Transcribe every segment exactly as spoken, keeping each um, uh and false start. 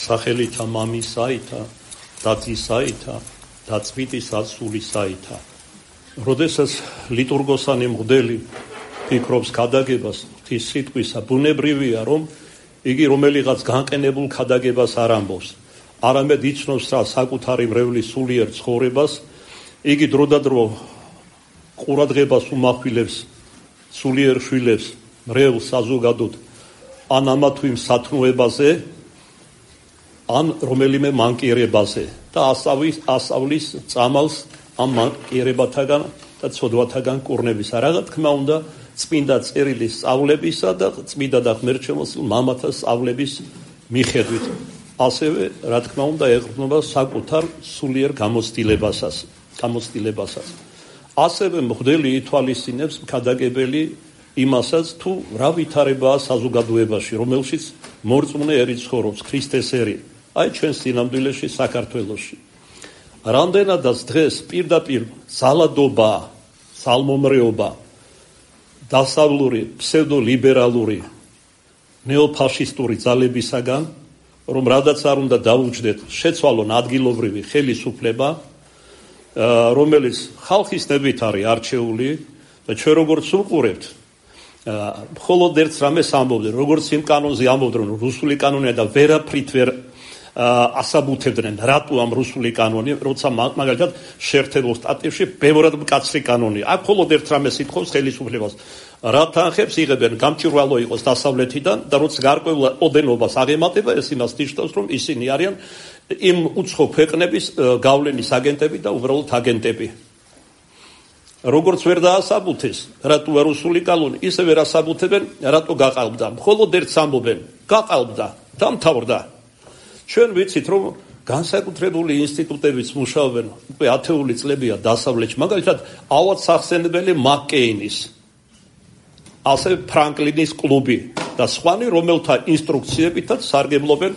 სახელითა მამისაითა და ძისაითა და წმინდისა სულისაითა. როდესაც ლიტურგოსანი მღვდელი ფიქრობს ქადაგებას ღვთის სიტყვისა, ბუნებრივია, რომ იგი რომელიღაც განყენებულ ქადაგებას არ ამბობს, არამედ იცნობს რა საკუთარი მრევლის სულიერ ცხოვრებას, იგი დროდადრო ყურადღებას უმახვილებს სულიერ შვილებს მრევლს საზოგადოდ ან ამა თუ იმ სათნოებაზე, ან რომელიმე მანკიერებაზე და ასავლის, ასავლის წამალს ამ მანკიერებათაგან და ცოდვათაგან კურნებისა. რა თქმა უნდა, წმინდა წერილის სწავლებისა და წმინდა და ღმერთშემოსილ მამათა სწავლების მიხედვით. ასევე, რა თქმა უნდა, ეყრდნობა საკუთარ სულიერ გამოცდილებასაც, გამოცდილებასაც. ასევე მღვდელი ითვალისწინებს ქადაგებელი იმასაც, თუ რა ვითარებაა საზოგადოებაში, რომელშიც მორწმუნე ერი ცხოვრობს, ქრისტეს ერი, აი ჩვენს სინამდვილეში საქართველოში. რამდენადაც დღეს პირდაპირ ზალადობა, ზალმომრეობა, დასავლური, ფსევდოლიბერალური, ნეოფაშისტური ძალებისაგან, რომ რადაც არ უნდა დაუჯდეთ, შეცვალონ ადგილობრივი ხელისუფლება, რომელიც ხალხის ნებით არის არჩეული და ჩვენ როგორც უყურებთ, მხოლოდ ერთ რამეს ამბობდნენ, როგორც იმ კანონზე ამბობდნენ, რომ რუსული კანონია და ვერაფრით ვერ ასაბუთებდნენ, რატო ამ რუსული კანონი, როცა მაგალითად შეერთებულ შტატებში ბევრად მკაცრი კანონია. აქ მხოლოდ ერთ რამეს ითხოვს ხელისუფლებას, რა თანხებს იღებენ, გამჭვირვალო იყოს დასავლეთიდან და როცა გარკვეულ ოდენობას აღემატება, ეს იმას ნიშნავს, რომ ისინი არიან იმ უცხო ქვეყნების გავლენის აგენტები და უბრალოდ აგენტები. როგორც ვერ დაასაბუთეს, რატო რუსული კანონი, ისე ვერ ასაბუთებენ, რატო გაყალბდა. მხოლოდ ერთს ამბობენ, გაყალბდა, დამთავრდა. ჩვენ ვიცით, რომ განსაკუთრებული ინსტიტუტებიც მუშაობენ, უკვე ათეული წლებია დასავლეთში, მაგალითად, ავად სახსენებელი მაკკეინის, ასევე ფრანკლინის კლუბი და სხვანი, რომელთა ინსტრუქციებითაც სარგებლობენ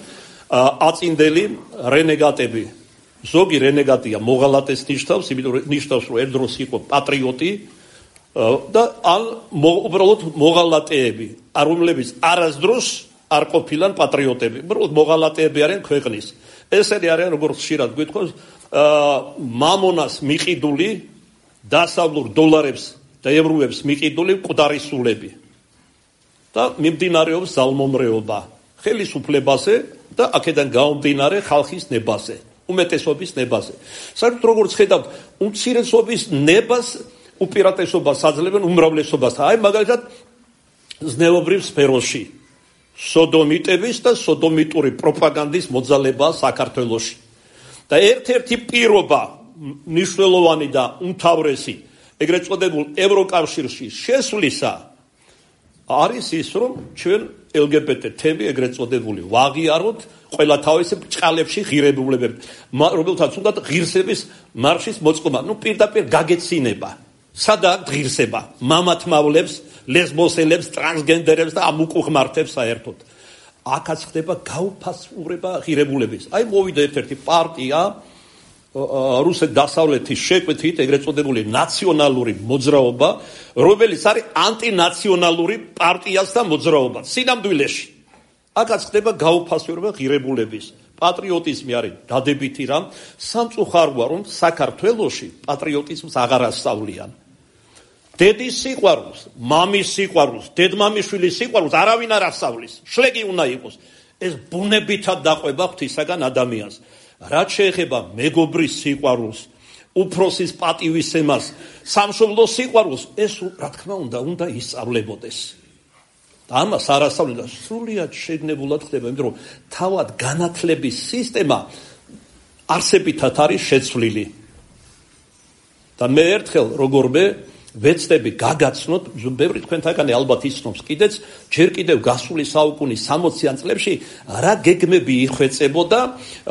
აწინდელი რენეგატები. ზოგი რენეგატია მოღალატეს ნიშნავს, იმიტომ რომ ნიშნავს, რომ ერთ დროს იყო პატრიოტი და ან უბრალოდ მოღალატეები, რომლებიც არასდროს არ ყოფილან პატრიოტები, უბრალოდ მოღალატეები არიან ქვეყნის. ესენი არიან, როგორც ხშირად გვითხოვს, მამონას მიყიდული, დასავლურ დოლარებს და ევროებს მიყიდული მკვდარი სულები. და მიმდინარეობს ზალმომრეობა ხელისუფლებაზე და აქედან გამომდინარე ხალხის ნებაზე, უმეტესობის ნებაზე. საერთოდ როგორც ხედავთ, უმცირესობის ნებას უპირატესობას აძლევენ უმრავლესობასთან. აი მაგალითად ზნეობრივ სფეროში სოდომიტების და სოდომიტური პროპაგანდის მოძალებაა საქართველოში. და ერთ-ერთი პირობა მნიშვნელოვანი და უმთავრესი ეგრეთ წოდებულ ევროკავშირში შესვლისა არის ის, რომ ჩვენ ელ გი ბი ტე თემი ეგრეთ წოდებული ვაღიაროთ ყველა თავისი ბრჭყალებში ღირებულებები, რომელთაც უნდა ღირსების მარშის მოწყობა, ну პირდაპირ გაგეცინება. სადაა ღირსება? მამათმავლებს, ლესბოსელებს, ტრანსგენდერებს და ამ უკუღმართებს საერთოდ. აქაც ხდება გაუფასურება ღირებულების. აი მოვიდა ერთ-ერთი პარტია რუსეთ დასავლეთის შეკვეთით, ეგრეთ წოდებული ნაციონალური მოძრაობა, რომელიც არის ანტინაციონალური პარტიასთან მოძრაობა სინამდვილეში. აქაც ხდება გაუფასურება ღირებულების. პატრიოტიზმი არის დადებითი რამ, სამწუხაროა, რომ საქართველოში პატრიოტიზმს აღარ ასწავლიან. დედის სიყვარულს, მამის სიყვარულს, დედმამიშვილის სიყვარულს არავინ არ ასწავლის. შლეგი უნდა იყოს. ეს ბუნებითად დაყვება ღვთისაგან ადამიანს. რაც შეეხება მეგობრის სიყვარულს, უფროსის პატივისცემას, სამშობლოს სიყვარულს, ეს რა თქმა უნდა, უნდა ისწავლებოდეს. და ამას არ ასწავლენ და სრულიად შეგნებულად ხდება, იმიტომ რომ თავად განათლების სისტემა არსებითად არის შეცვლილი. და მე ერთხელ როგორმე ვეცდები გაგაცნოთ, ბევრი თქვენთაგანი ალბათ იცნობს კიდეც, ჯერ კიდევ გასული საუკუნის სამოციან წლებში რა გეგმები იხვეწებოდა,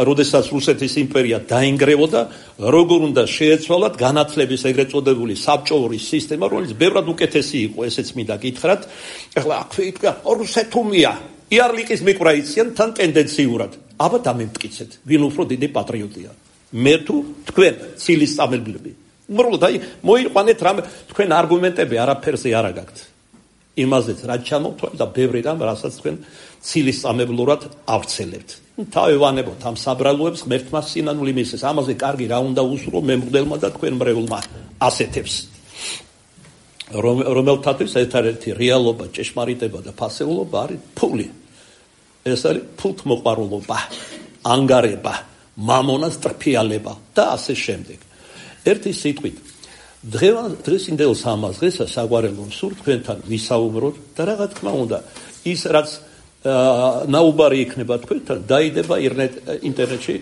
როდესაც რუსეთის იმპერია დაინგრევოდა, როგორ უნდა შეეცვალათ განათლების ეგრეთ წოდებული საბჭოური სისტემა, რომელიც ბევრად უკეთესი იყო, ესეც მინდა გითხრათ. ეხლა აქვე ითქვა, რუსეთუმია, იარლიკის მიკვრა იციან თან ტენდენციურად. აბა დამემტკიცეთ, ვინ უფრო დიდი პატრიოტია? მე თუ თქვენ ცილის წამებლები. უბრალოდ აი მოიყვანეთ რამე თქვენ არგუმენტები არაფერზე არ აგაქვთ. იმაზეც რაც ჩამოვთვალ და ბევრი რამ რასაც თქვენ ცილისწამებლურად ავრცელებთ. თავევანებოთ ამ საბრალოებს ღმერთმა სინანული მისცეს. ამაზე კარგი რა უნდა უსურო მემღვდელმა და თქვენ მრევლმა ასეთებს. რომელთათვის ერთადერთი რეალობა, ჭეშმარიტება და ფასეულობა არის ფული. ეს არის ფულთმოყვარულობა, ანგარება, მამონას ტრფიალება და ასე შემდეგ. ერთი სიტყვით დღესინდელ სამას დღესა საგვარელო სურთ თქვენთან ვისაუბროთ და რა თქმა უნდა ის რაც ნაუბარი იქნება თქვენთან დაიდება ინტერნეტში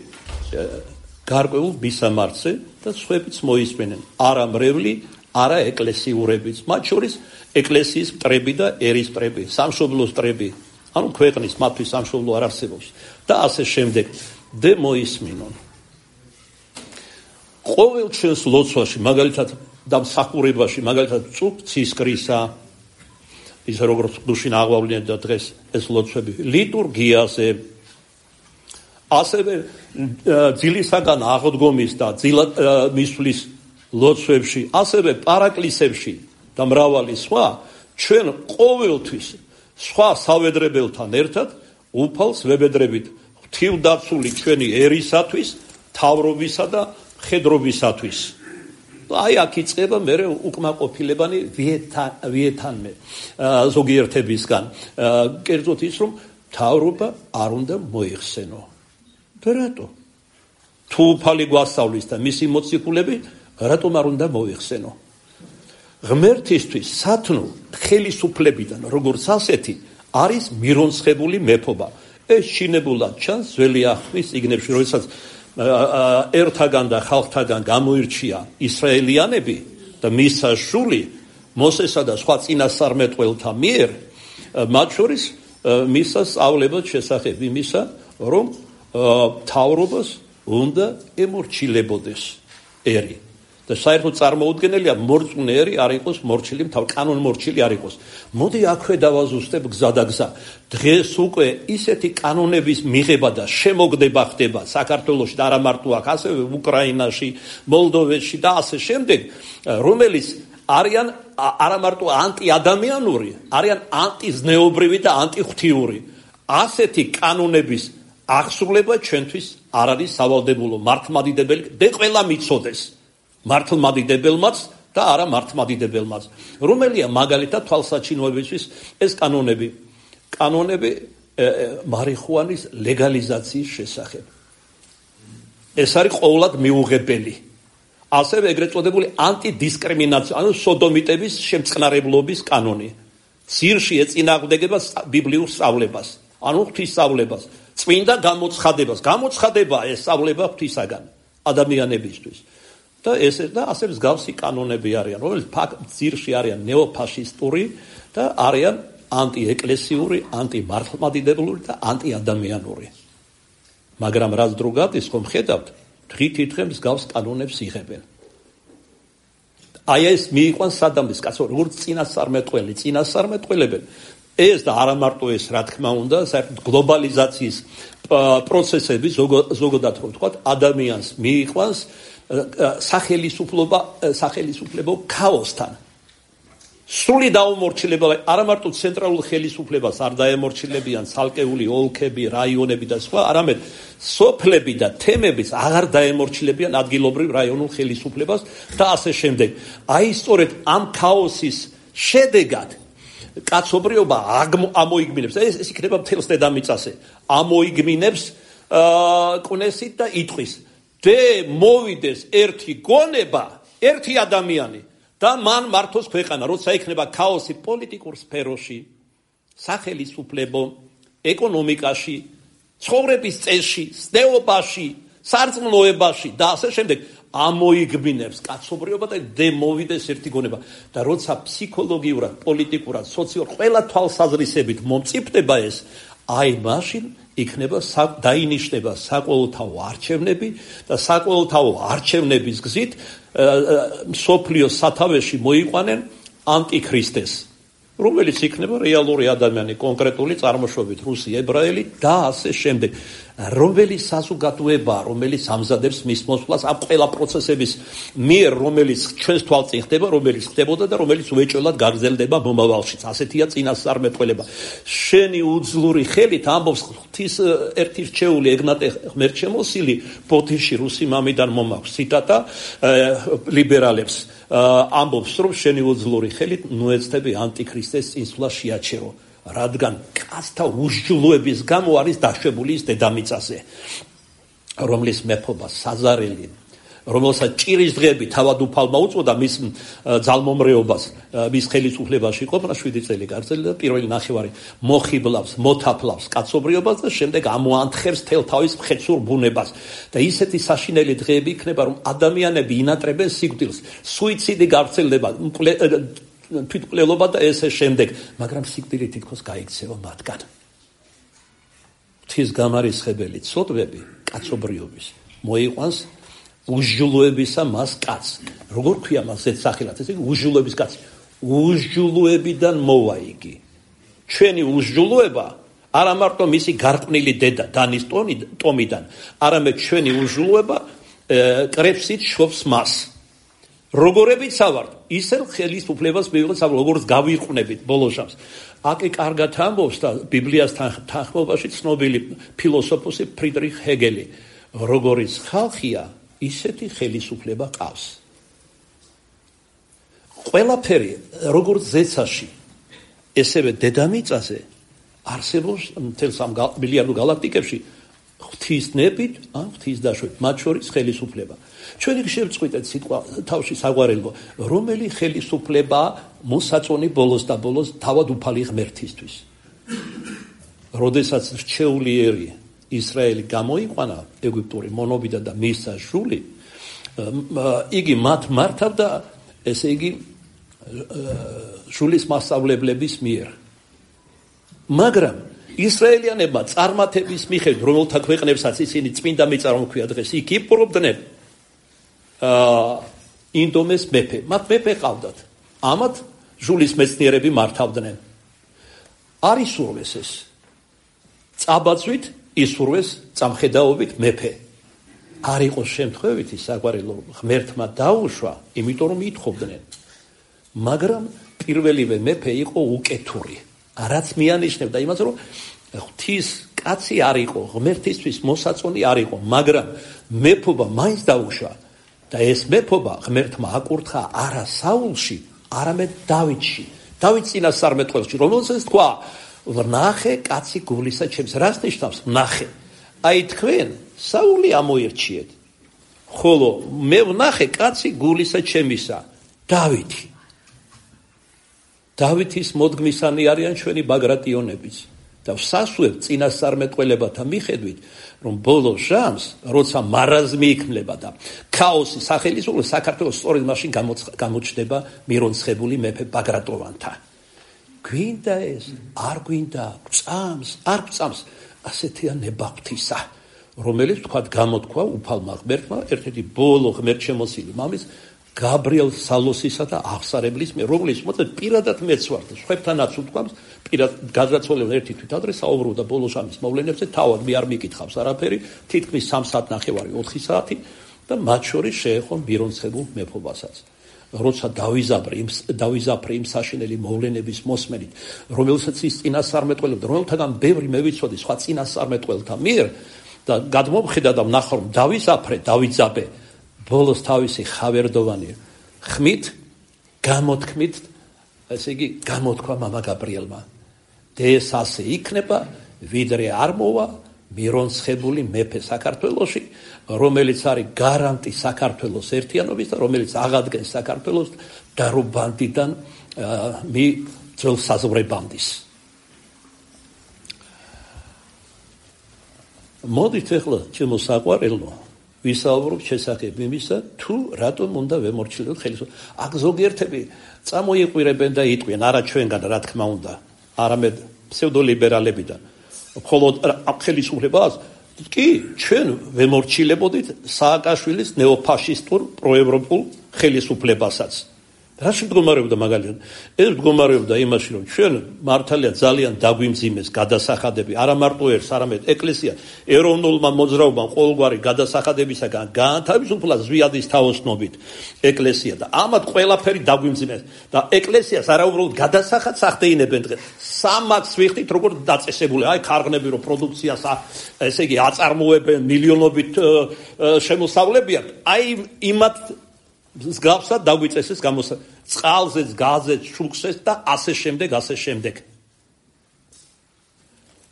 გარკვეულ მისამართზე და სხვაებიც მოისმენენ არა მრევლი არა ეკლესიურებიც მათ შორის ეკლესიის მტრები და ერის მტრები სამშობლოს მტრები ანუ ქვეყნის მათთვის სამშობლო არ არსებობს და ასე შემდეგ და მოისმინონ ყოველ ჩვენს ლოცვაში მაგალითად და მსახურებაში მაგალითად წუხ ცისკრისა ის როგორც დუშინ აღვავლინეთ და დღეს ეს ლოცვები ლიტურგიაზე ასევე ძილისაგან აღდგომის და ძილად მისვლის ლოცვებში ასევე პარაკლისებში და მრავალი სხვა ჩვენ ყოველთვის სხვა სავედრებელთან ერთად უფალს ვებედრებით ღვთივდაცული ჩვენი ერისათვის თავრობისა და მხედრობისათვის აი აქ იწყება მე უკმაყოფილებანი ვიეთანმე ზოგიერთებისგან კერძოდ ის რომ თავრობა არ უნდა მოიხსენო და რატო თუ უფალი გვასწავლის და მისი მოციქულები რატომ არ უნდა მოიხსენო ღმერთისთვის სათნო ხელისუფლებიდან როგორც ასეთი არის მირონცხებული მეფობა ეს შინებულად ჩანს ძველი ახვის წიგნებში როდესაც ერთაგან და ხალხთაგან გამოირჩია ისრაელიანები და მისა შული მოსესა და სხვა წინასწარმეტყველთა მიერ მათ შორის მისა სწავლებად შესახებ იმისა რომ თავრობას უნდა ემორჩილებოდეს ერი და საერთოდ წარმოუდგენელია მორწმუნე ერი არ იყოს მორჩილი თავ კანონმორჩილი არ იყოს მოდი აქვე დავაზუსტებ გზა და გზა დღეს უკვე ისეთი კანონების მიღება და შემოგდება ხდება საქართველოში და არა მარტო აქ ასევე უკრაინაში მოლდოვეთში და ასე შემდეგ რომელიც არიან არა მარტო ანტიადამიანური არიან ანტიზნეობრივი და ანტიღვთიური ასეთი კანონების აღსრულება ჩვენთვის არ არის სავალდებულო მართლმადიდებელი და ყველა მიცოდეს მართლმადიდებელმაც და არა მართლმადიდებელმაც რომელია მაგალითად თვალსაჩინოებისთვის ეს კანონები კანონები მარიხუანის ლეგალიზაციის შესახებ ეს არის ყოვლად მიუღებელი ასევე ეგრეთ წოდებული ანტიდისკრიმინაცია ანუ სოდომიტების შემწყნარებლობის კანონი ძირში ეწინააღმდეგება ბიბლიურ სწავლებას ანუ ღვთისწავლებას წმინდა გამოცხადებას გამოცხადება ეს სწავლება ღვთისაგან ადამიანებისთვის და ეს და ასე მსგავსი კანონები არიან, რომელიც ძირში არიან ნეოფაშისტური და არიან ანტიეკლესიური, ანტიმართლმადიდებლური და ანტიადამიანური. მაგრამ რაც დრო გადის, ხომ ხედავთ, დღითიდღე მსგავს კანონებს იღებენ. აი ეს მიიყვანს სადამის კაცო, როგორც წინასწარმეტყველი, წინასწარმეტყველებენ. ეს და არა მარტო ეს, რა თქმა უნდა, საერთოდ გლობალიზაციის პროცესები ზოგადად რომ ვთქვათ, ადამიანს მიიყვანს სახელისუფლება სახელისუფლებო ქაოსთან სრული დაუმორჩილება არა მარტო ცენტრალურ ხელისუფლებას არ დაემორჩილებიან ცალკეული ოლქები, რაიონები და სხვა, არამედ სოფლები და თემებიც აღარ დაემორჩილებიან ადგილობრივ რაიონულ ხელისუფლებას და ასე შემდეგ. აი სწორედ ამ ქაოსის შედეგად კაცობრიობა ამოიგმინებს ეს ეს იქნება მთელს დედამიწაზე ამოიგმინებს კვნესით და იტყვის და მოვიდეს ერთი გონება, ერთი ადამიანი და მან მართოს ქვეყანა, როცა იქნება ქაოსი პოლიტიკურ სფეროში, სახელისუფლებო, ეკონომიკაში, ცხოვრების წესში, სნეობაში, სარწმუნოებაში და ასე შემდეგ ამოიგმინებს კაცობრიობა და დემოვიდეს ერთი გონება და როცა ფსიქოლოგიურად, პოლიტიკურად, სოციალურად ყველა თვალსაზრისებით მომწიფდება ეს, აი მაშინ იქნება დაინიშნება საყოველთაო არჩევნები და საყოველთაო არჩევნების გზით მსოფლიოს სათავეში მოიყვანენ ანტიქრისტეს, რომელიც იქნება რეალური ადამიანი, კონკრეტული წარმოშობით რუსი, ებრაელი და ასე შემდეგ. რომელი საზოგადოება, რომელიც ამზადებს მის მოსვლას ამ ყველა პროცესების მიერ, რომელიც ჩვენს თვალწინ ხდება, რომელიც ხდებოდა და რომელიც უეჭველად გაგრძელდება მომავალშიც. ასეთია წინასწარმეტყველება. შენი უძლური ხელით ამბობს ღვთის ერთი რჩეული ეგნატე ღმერთშემოსილი ბოდიში რუსი მამიდან მომაქვს. ციტატა ლიბერალებს ამბობს, რომ შენი უძლური ხელით ნუეცდები ანტიქრისტეს წინსვლა შეაჩერო. რადგან კაცთა უსჯულოების გამო არის დაშვებული ის დედამიწაზე, რომლის მეფობა საზარელი, რომელსაც ჭირის დღეები თავად უფალმა უწოდა მის ძალმომრეობას, მის ხელისუფლებაში ყოფნა შვიდი წელი გაგრძელდა და პირველი ნახევარი მოხიბლავს, მოთაფლავს კაცობრიობას და შემდეგ ამოანთხებს თელ თავის მხეცურ ბუნებას. და ისეთი საშინელი დღეები იქნება, რომ ადამიანები ინატრებენ სიკვდილს, სუიციდი გავრცელდება, თვითმკვლელობა და ესე შემდეგ, მაგრამ სიკვდილი თითქოს გაიქცევა მათგან. ღვთის გამარისხებელი ცოდვები კაცობრიობის მოიყვანს უსჯულოებისა მას კაცს. როგორ ქვია მას ეს სახელად? ესე იგი უსჯულოების კაცი. უსჯულოებიდან მოვა იგი. ჩვენი უსჯულოება არა მარტო მისი გარყვნილი დედა დანის ტომიდან, არამედ ჩვენი უსჯულოება კრებსით შობს მას. როგორებიც ავართ, ისე ხელისუფლებას მივიღეთ, როგორც გავიყვნებით ბოლოშავს. აკი კარგად ამბობს და ბიბლიასთან თანხმობაში ცნობილი ფილოსოფოსი ფრიდრიხ ჰეგელი, როგორიც ხალხია, ისეთი ხელისუფლება ყავს. ყველაფერი, როგორც ზეცაში, ესევე დედამიწაზე არსებობს მთელს ამ მილიარდ გალაქტიკებში ღვთის ნებით, ან ღვთის დაშვებით, მათ შორის ხელისუფლება. ჩვენი შევწყვიტეთ სიტყვა თავში საგვარელო, რომელი ხელისუფლება მოსაწონი ბოლოს და ბოლოს თავად უფალი ღმერთისთვის. როდესაც რჩეულიერი ისრაელი გამოიყვანა ეგვიპტური მონობიდან და მისცა ჟული, იგი მათ მართავდა, ესე იგი ჟულის მასწავლებლების მიერ. მაგრამ ისრაელიანებმა წარმართების მიხედვით, რომელთა ქვეყნებსაც ისინი წმინდა მიწარმოქმედა დღეს იქ იპყრობდნენ, ინდომეს მეფე, მათ მეფე ყავდათ. ამათ ჟულის მეცნიერები მართავდნენ. არ ისურვეს ეს. წაბაძვით ისურვეს წამხედაობით მეფე. არ იყოს შემთხვევითი საგვარელო ღმერთმა დაუშვა, იმიტომ რომ ითხოვდნენ. მაგრამ პირველივე მეფე იყო უკეთური. რაც მიანიშნებდა იმას, რომ ღვთის კაცი არ იყო, ღმერთისთვის მოსაწონი არ იყო, მაგრამ მეფობა მაინც დაუშვა. და ეს მეფობა ღმერთმა აკურთხა არა საულში, არამედ დავითში. დავით წინასწარმეტყველში, რომელსაც თქვა, ვნახე კაცი გულისა ჩემს. რას ნიშნავს ვნახე? აი თქვენ საული ამოირჩიეთ, ხოლო მე ვნახე კაცი გულისა ჩემისა, დავითი. დავითის მოდგმისანი არიან ჩვენი ბაგრატიონებიც. და ვსასუებ წინასწარმეტყველებათა მიხედვით, რომ ბოლო ჟამს, როცა მარაზმი იქმნება და ქაოსი სახელისუფლება საქართველოს სწორედ მაშინ გამოჩნდება მირონცხებული მეფე ბაგრატოვანთა. გვინდა ეს, არ გვინდა, გწამს, არ გწამს, ასეთია ნება ღვთისა, რომელიც თქვათ გამოთქვა უფალმა ღმერთმა, ერთ-ერთი ბოლო ღმერთშემოსილი მამის გაბრიელ სალოსისა და აღსარებლის მიერ, რომელიც მოწმე პირადად მეც ვარ და სხვებთანაც უთქვამს, პირად გაძრაცვალებულ ერთი თვითადრე საუბრობდა ბოლო ჟამის მოვლენებზე, თავად მე არ მიკითხავს არაფერი, თითქმის სამ საათ ნახევარი, ოთხი საათი და მათ შორის შეეხო მირონცხებულ მეფობასაც. როცა დავიზაბრე იმ დავიზაფრე იმ საშინელი მოვლენების მოსმენით, რომელსაც ის წინასწარმეტყველებდა, რომელთაგან ბევრი მე ვიცოდი სხვა წინასწარმეტყველთა მიერ და გადმომხედა და ვნახა რომ დავიზაფრე, დავიძაბე ბოლოს თავისი ხავერდოვანი ხმით, გამოთქმით, ესე იგი გამოთქვა მამა გაბრიელმა. ეს ასე იქნება, ვიდრე არ მოვა მირონცხებული მეფე საქართველოში, რომელიც არის გარანტი საქართველოს ერთიანობის და რომელიც აღადგენს საქართველოს დარობანდიდან მი ძველ საზღვრებამდის. მოდით ახლა ჩემო საყვარელო ვისაუბრობ შესახებ იმისა, თუ რატომ უნდა ვემორჩილოთ ხელისუფლებას. აქ ზოგიერთები წამოიყვირებენ და იტყვიან, არა ჩვენგან, რა თქმა უნდა, არამედ ფსევდოლიბერალებიდან. მხოლოდ ხელისუფლებას კი ჩვენ ვემორჩილებოდით სააკაშვილის ნეოფაშისტურ პროევროპულ ხელისუფლებასაც. რაში მდგომარეობდა მაგალითად? ეს მდგომარეობდა იმაში, რომ ჩვენ მართალია ძალიან დაგვიმძიმეს გადასახადები, არა მარტო ერთს, არამედ ეკლესია ეროვნულმა მოძრაობამ ყოველგვარი გადასახადებისაგან გაანთავისუფლა ზვიადის თაოსნობით ეკლესია და ამათ ყველაფერი დაგვიმძიმეს და ეკლესიას არა უბრალოდ გადასახადს ახდეინებენ დღეს. სამaks ვიხდით როგორ დაწესებული, აი ქარღნები რო პროდუქციას ესე იგი აწარმოებენ მილიონობით შემოსავლებიან, აი იმათ მსგავსად დაგვიწესეს გამოსა წყალზეც, გაზეც, შუქზეც და ასე შემდეგ, ასე შემდეგ.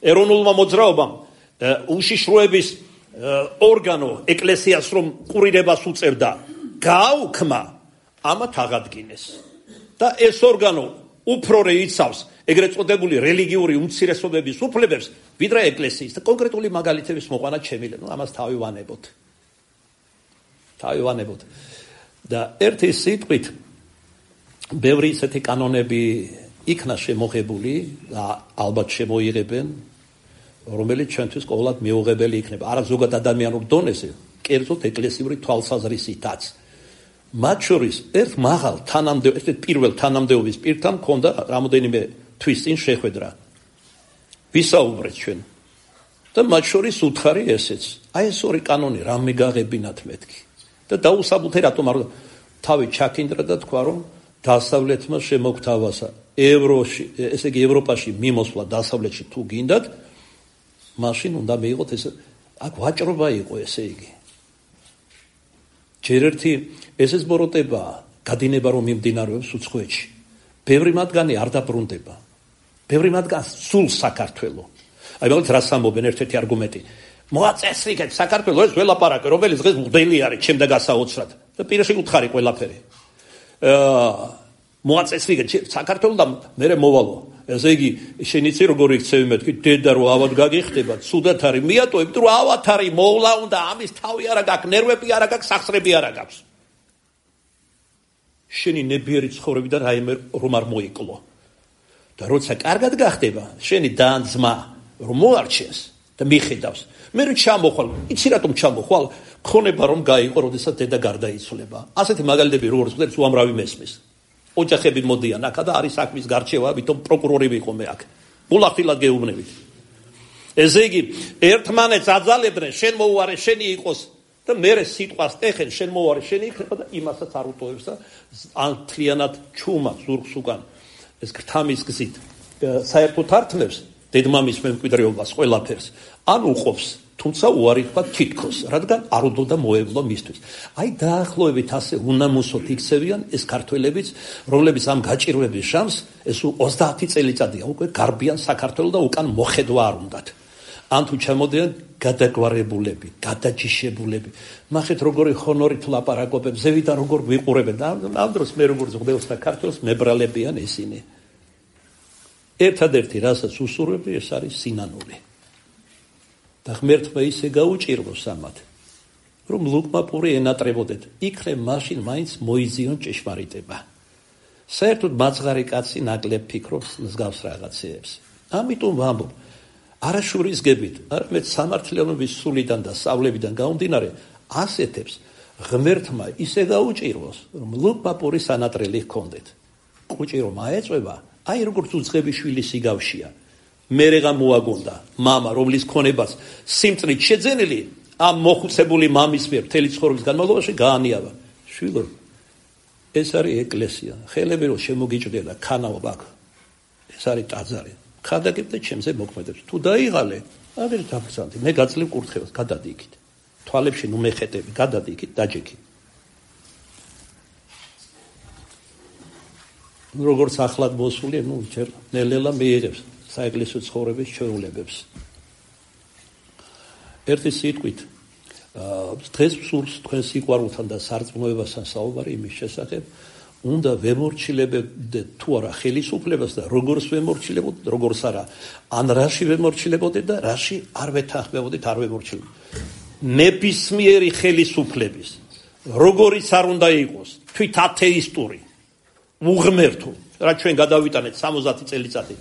ეროვნულმა მოძრაობამ უშიშროების ორგანო ეკლესიას რომ ყურირებას უწევდა, გააუქმა, ამათ აღადგინეს. და ეს ორგანო უფრო რეიცავს ეგრეთ წოდებული რელიგიური უმცირესობების უფლებებს, ვიდრე ეკლესიის და კონკრეტული მაგალითების მოყვანა ჩემილე, ნუ ამას თავი ვანებოთ. თავი ვანებოთ. და ერთი სიტყვით ბევრი ისეთი კანონები იქნა შემოღებული და ალბათ შემოიღებენ, რომელიც ჩვენთვის ყოველად მიუღებელი იქნება. არა ზოგად ადამიანურ დონეზე, კერძოდ ეკლესიური თვალსაზრისითაც. მათ შორის ერთ მაღალ თანამდებობის, ერთ პირველ თანამდებობის პირთან მქონდა რამოდენიმე თვის წინ შეხვედრა. ვისაუბრეთ ჩვენ. და მათ შორის უთხარი ესეც. აი ეს ორი კანონი რა მიგაღებინათ მეთქი. და დაუსაბუთე რატომ არ თავი ჩაქინდრა და თქვა რომ დასავლეთმა შემოგთავაზა ევროში, ესე იგი ევროპაში მიმოსვლა დასავლეთში თუ გინდათ, მაშინ უნდა მიიღოთ ეს აქ ვაჭრობა იყო ესე იგი. ჯერ ერთი ესეც ბოროტება, გადინება რომ მიმდინარეობს უცხოეთში. ბევრი მათგანი არ დაბრუნდება. ბევრი მათგანი სულ საქართველოს. აი მაგალითად რას ამბობენ ერთ-ერთი არგუმენტი. მოაწესრიგეთ საქართველოს ეს ველაპარაკე, რომელიც დღეს მღვდელი არის ჩემდა გასაოცრად. და პირში უთხარი ყველაფერი. აა მოაწესრიგეთ საქართველოს და მე მოვალო. ესე იგი შენ იცი როგორ იქცევი მეთქი დედა რო ავად გაგიხდება, ცუდად არის მიატოვებ, თუ ავად არის მოვლა უნდა ამის თავი არა გაქვს, ნერვები არა გაქვს, სახსრები არა გაქვს. შენი ნებიერი ცხოვრები და რაიმე რომ არ მოიკლო. და როცა კარგად გახდება, შენი დაანძმა რომ მოარჩენს და მიხედავს. მე რო ჩამოხვალ, იცი რატომ ჩამოხვალ? ხონება რომ გაიყო, როდესაც დედა გარდაიცვალება. ასეთი მაგალითები როგორც ხდება, უამრავი მესმის. ოჯახები მოდიან აქა და არის საქმის გარჩევა, ვითომ პროკურორი ვიყო მე აქ. ულახილად გეუბნებით. ესე იგი, ერთმანეთს აძალებდნენ, შენ მოუარე, შენი იყოს და მერე სიტყვას ტეხენ, შენ მოუარე, შენი იქნება და იმასაც არ უტოვებს და ან თლიანად ჩუმა ზურგს უკან ეს გრთამის გზით საერთოდ ართმევს დედმამის მემკვიდრეობას ყველაფერს. ან უყოფს, თუმცა უარი თქვა თითქოს, რადგან არ უდოდა მოევლო მისთვის. აი დაახლოებით ასე უნამუსოდ იქცევიან ეს ქართველებიც, რომლებიც ამ გაჭირვების შამს ეს ოცდაათი წელიწადია უკვე გარბიან საქართველოს და უკან მოხედვა არ უნდათ. ან თუ ჩამოდიან გადაგვარებულები, გადაჯიშებულები. ნახეთ როგორი ხონორით ლაპარაკობენ, ზევიდან როგორ ვიყურებენ და ამ დროს მე როგორ ზღდევს საქართველოს მებრალებიან ისინი. ერთადერთი რასაც უსურვები ეს არის სინანული. და ღმერთმა ისე გაუჭიროს ამათ, რომ ლუკმა პური ენატრებოდეთ, იქნებ მაშინ მაინც მოიზიონ ჭეშმარიტება. საერთოდ მაძღარი კაცი ნაკლებ ფიქრობს მსგავს რაღაცეებს. ამიტომ ვამბობ, არა შურისგებით, არამედ სამართლიანობის სულიდან და სწავლებიდან გამომდინარე, ასეთებს ღმერთმა ისე გაუჭიროს, რომ ლუკმა პურის ანატრელი ჰქონდეთ. კუჭი რომ აეწვება, აი როგორც უცხები შვილი სიგავშია. მერეღა მოაგონდა მამა, რომლის ქონებას სიმწრით შეძენილი ამ მოხუცებული მამის მიერ მთელი ცხოვრების განმავლობაში გაანიავა. შვილო, ეს არის ეკლესია. ხელები რომ შემოგიჭრია და ქანაობ აქ. ეს არის ტაძარი. ხადაგებ და ჩემზე მოქმედებს. თუ დაიღალე, აგერ დაგცანდი. მე გაწლივ კურთხევას, გადადი იქით. თვალებში ნუ მეხეტები, გადადი იქით, დაჯექი. როგორც ახლად მოსული, ნუ ჯერ ნელ-ნელა მიიღებს საეკლესიო ცხოვრების ჩვეულებებს. ერთი სიტყვით, დღეს სურს თქვენ სიყვარულთან და სარწმუნოებასთან საუბარი იმის შესახებ, უნდა ვემორჩილებოდეთ თუ არა ხელისუფლებას და როგორც ვემორჩილებოდეთ, როგორც არა, ან რაში ვემორჩილებოდეთ და რაში არ ვეთანხმებოდეთ, არ ვემორჩილებოდეთ. ნებისმიერი ხელისუფლების, როგორიც არ უნდა იყოს, თვით ათეისტური, უღმერთო, რა ჩვენ გადავიტანეთ სამოცდაათი წელიწადი.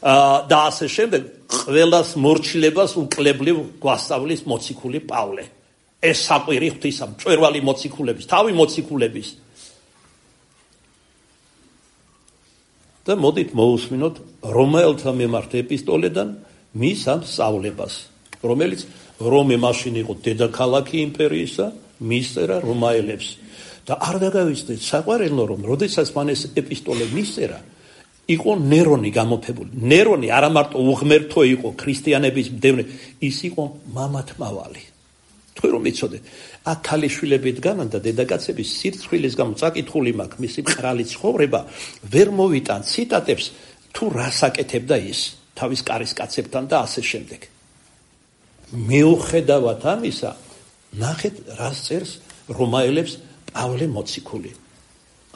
და ასე შემდეგ ყველას მორჩილებას უკლებლივ გვასწავლის მოციქული პავლე. ეს საყვირი ღვთისა, მწვერვალი მოციქულების, თავი მოციქულების. და მოდით მოусმინოთ რომაელთა მიმართ ეპისტოლედან მის ამ სწავლებას, რომელიც რომე მაშინ იყო დედაქალაქი იმპერიისა, მისწერა რომაელებს. და არ დაგავიწყდეთ საყვარელო, რომ როდესაც მან ეს ეპისტოლე მისწერა, იყო ნერონი გამოფებული. ნერონი არა მარტო უღმერთო იყო ქრისტიანების მდევნე, ის იყო მამათმავალი. თქვენ რომ იცოდეთ, აქ ქალიშვილები დგანან და დედაკაცების სირცხვილის გამო წაკითხული მაქვს მისი მყრალი ცხოვრება, ვერ მოვიტან ციტატებს თუ რას აკეთებდა ის თავის კარისკაცებთან და ასე შემდეგ. მიუხედავად ამისა, ნახეთ რას წერს რომაელებს პავლე მოციქული.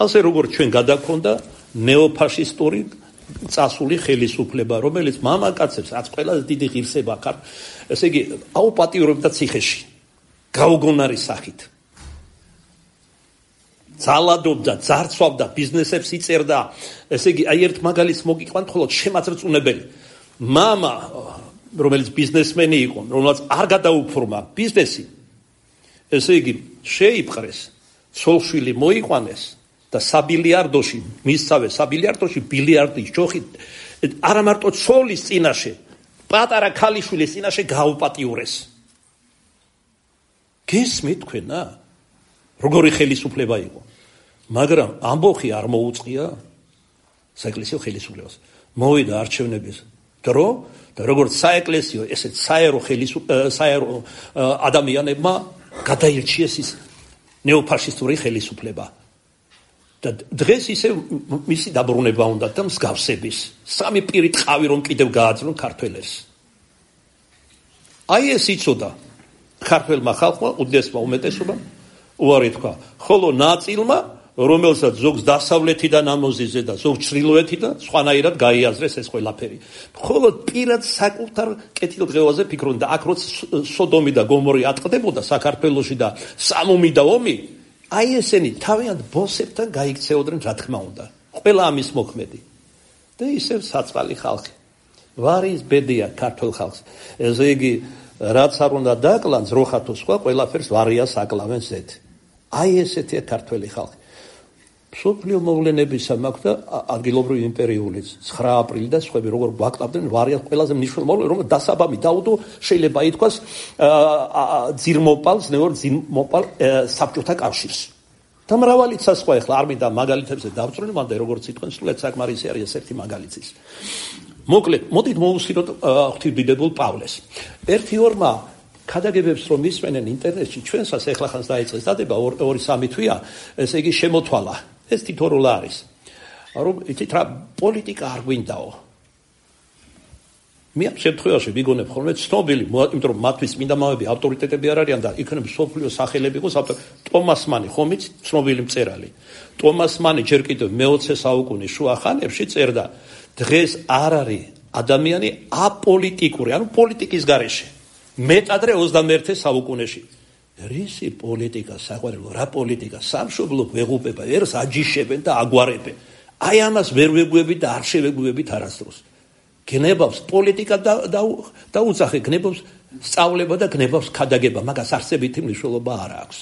ასე როგორც ჩვენ გადაგქონდა ნეოფაშისტური წასული ხელისუფლება, რომელიც მამაკაცებს რაც ყველაზე დიდი ღირსება ხარ, ესე იგი აუპატიურებდა ციხეში, გაუგონარი სახით. ძალადობდა, ძარცვავდა, ბიზნესებს იწერდა. ესე იგი, აი ერთ მაგალითს მოგიყვანთ, ხოლო შემაწრწუნებელი. მამა, რომელიც ბიზნესმენი იყო, რომელიც არ გადაუფორმა ბიზნესი, ესე იგი, შეიპყრეს, ცოლშვილი მოიყვანეს და საბილიარდოში, მისცავე საბილიარდოში ბილიარდის ჯოხით, არა მარტო ცოლის წინაშე, პატარა ქალიშვილის წინაშე გააუპატიურეს. გესმით თქვენა? როგორი ხელისუფლება იყო. მაგრამ ამბოხი არ მოუწყია საეკლესიო ხელისუფლებას. მოვიდა არჩევნების დრო და როგორც საეკლესიო, ესეც საერო ხელისუფლება, საერო ადამიანებმა გადაირჩიეს ის ნეოფაშისტური ხელისუფლება. და დღეს ისე მისი დაბრუნება უნდა და მსგავსების. სამი პირი ტყავი რომ კიდევ გააძლონ ქართველებს. აი ეს იცოდა ქართველმა ხალხმა, უდიდესმა უმეტესობამ უარი თქვა, ხოლო ნაწილმა, რომელსაც ზოგს დასავლეთიდან ამოზიზე და ზოგს ჩრდილოეთიდან, სხვანაირად გაიაზრეს ეს ყველაფერი. ხოლო პირად საკუთარ კეთილდღეობაზე ფიქრობდნენ და აქ როცა სოდომი და გომორი ატყდებოდა საქართველოში და სამომიდა ომი, აი ესენი თავიანთ ბოსებთან გაიქცეოდნენ, რა თქმა უნდა. ყველა ამის მოქმედი. და ისევ საწყალი ხალხი. ვარის ბედია ქართულ ხალხს. ესე იგი, რაც არ უნდა დაკლან ზროხა თუ სხვა, ყველაფერს ვარიას აკლავენ ზედ. აი ესეთია ქართველი ხალხი. მსოფლიო მოვლენებისა მაქვს და ადგილობრივი იმპერიულიც ცხრა აპრილი და სხვები როგორ ვაკლავდნენ ვარიას ყველაზე მნიშვნელოვანი მოვლენა, რომ დასაბამი დაუდო შეიძლება ითქვას ძირმოპალს, ნეორ ძირმოპალ საბჭოთა კავშირს. და მრავალიცა სხვა, ახლა არ მინდა მაგალითებზე დავწრინო, მანდა როგორც იტყვენ, სულაც საკმარისი არის ერთი მაგალითის. მოკლედ, მოდით მოусმინოთ ღვთისმდიდრებულ პავლეს. ერთი ორმა ქადაგებებს რომ ისმენენ ინტერნეტში, ჩვენსაც ახლა ხანს დაიწყეს დადება, ორი სამი თვეა, ესე იგი შემოთვალა. ეს თითოეულ არის. რომ იცით რა, პოლიტიკა არ გვინდაო. მე ამ შემთხვევაში ვიგონებ ხოლმე ცნობილი, იმიტომ რომ მათთვის წმინდა მამები ავტორიტეტები არ არიან და იქნებ სოფლიო სახელები იყოს ავტორი. ტომას მანი ხომ იცით, ცნობილი მწერალი. ტომას მანი ჯერ კიდევ მეოცე საუკუნის შუა ხანებში წერდა, დღეს არ არის ადამიანი აპოლიტიკური, ანუ პოლიტიკის გარეშე. მეტადრე ოცდამეერთე საუკუნეში. რისი პოლიტიკა, საყვარელო, რა პოლიტიკა, სამშობლო ვეღუპება, ერს აჯიშებენ და აგვარებენ. აი ამას ვერ ვეგუებით და არ შევეგუებით არასდროს. გნებავს პოლიტიკა და უძახე, გნებავს სწავლება და გნებავს ქადაგება, მაგას არსებითი მნიშვნელობა არ აქვს.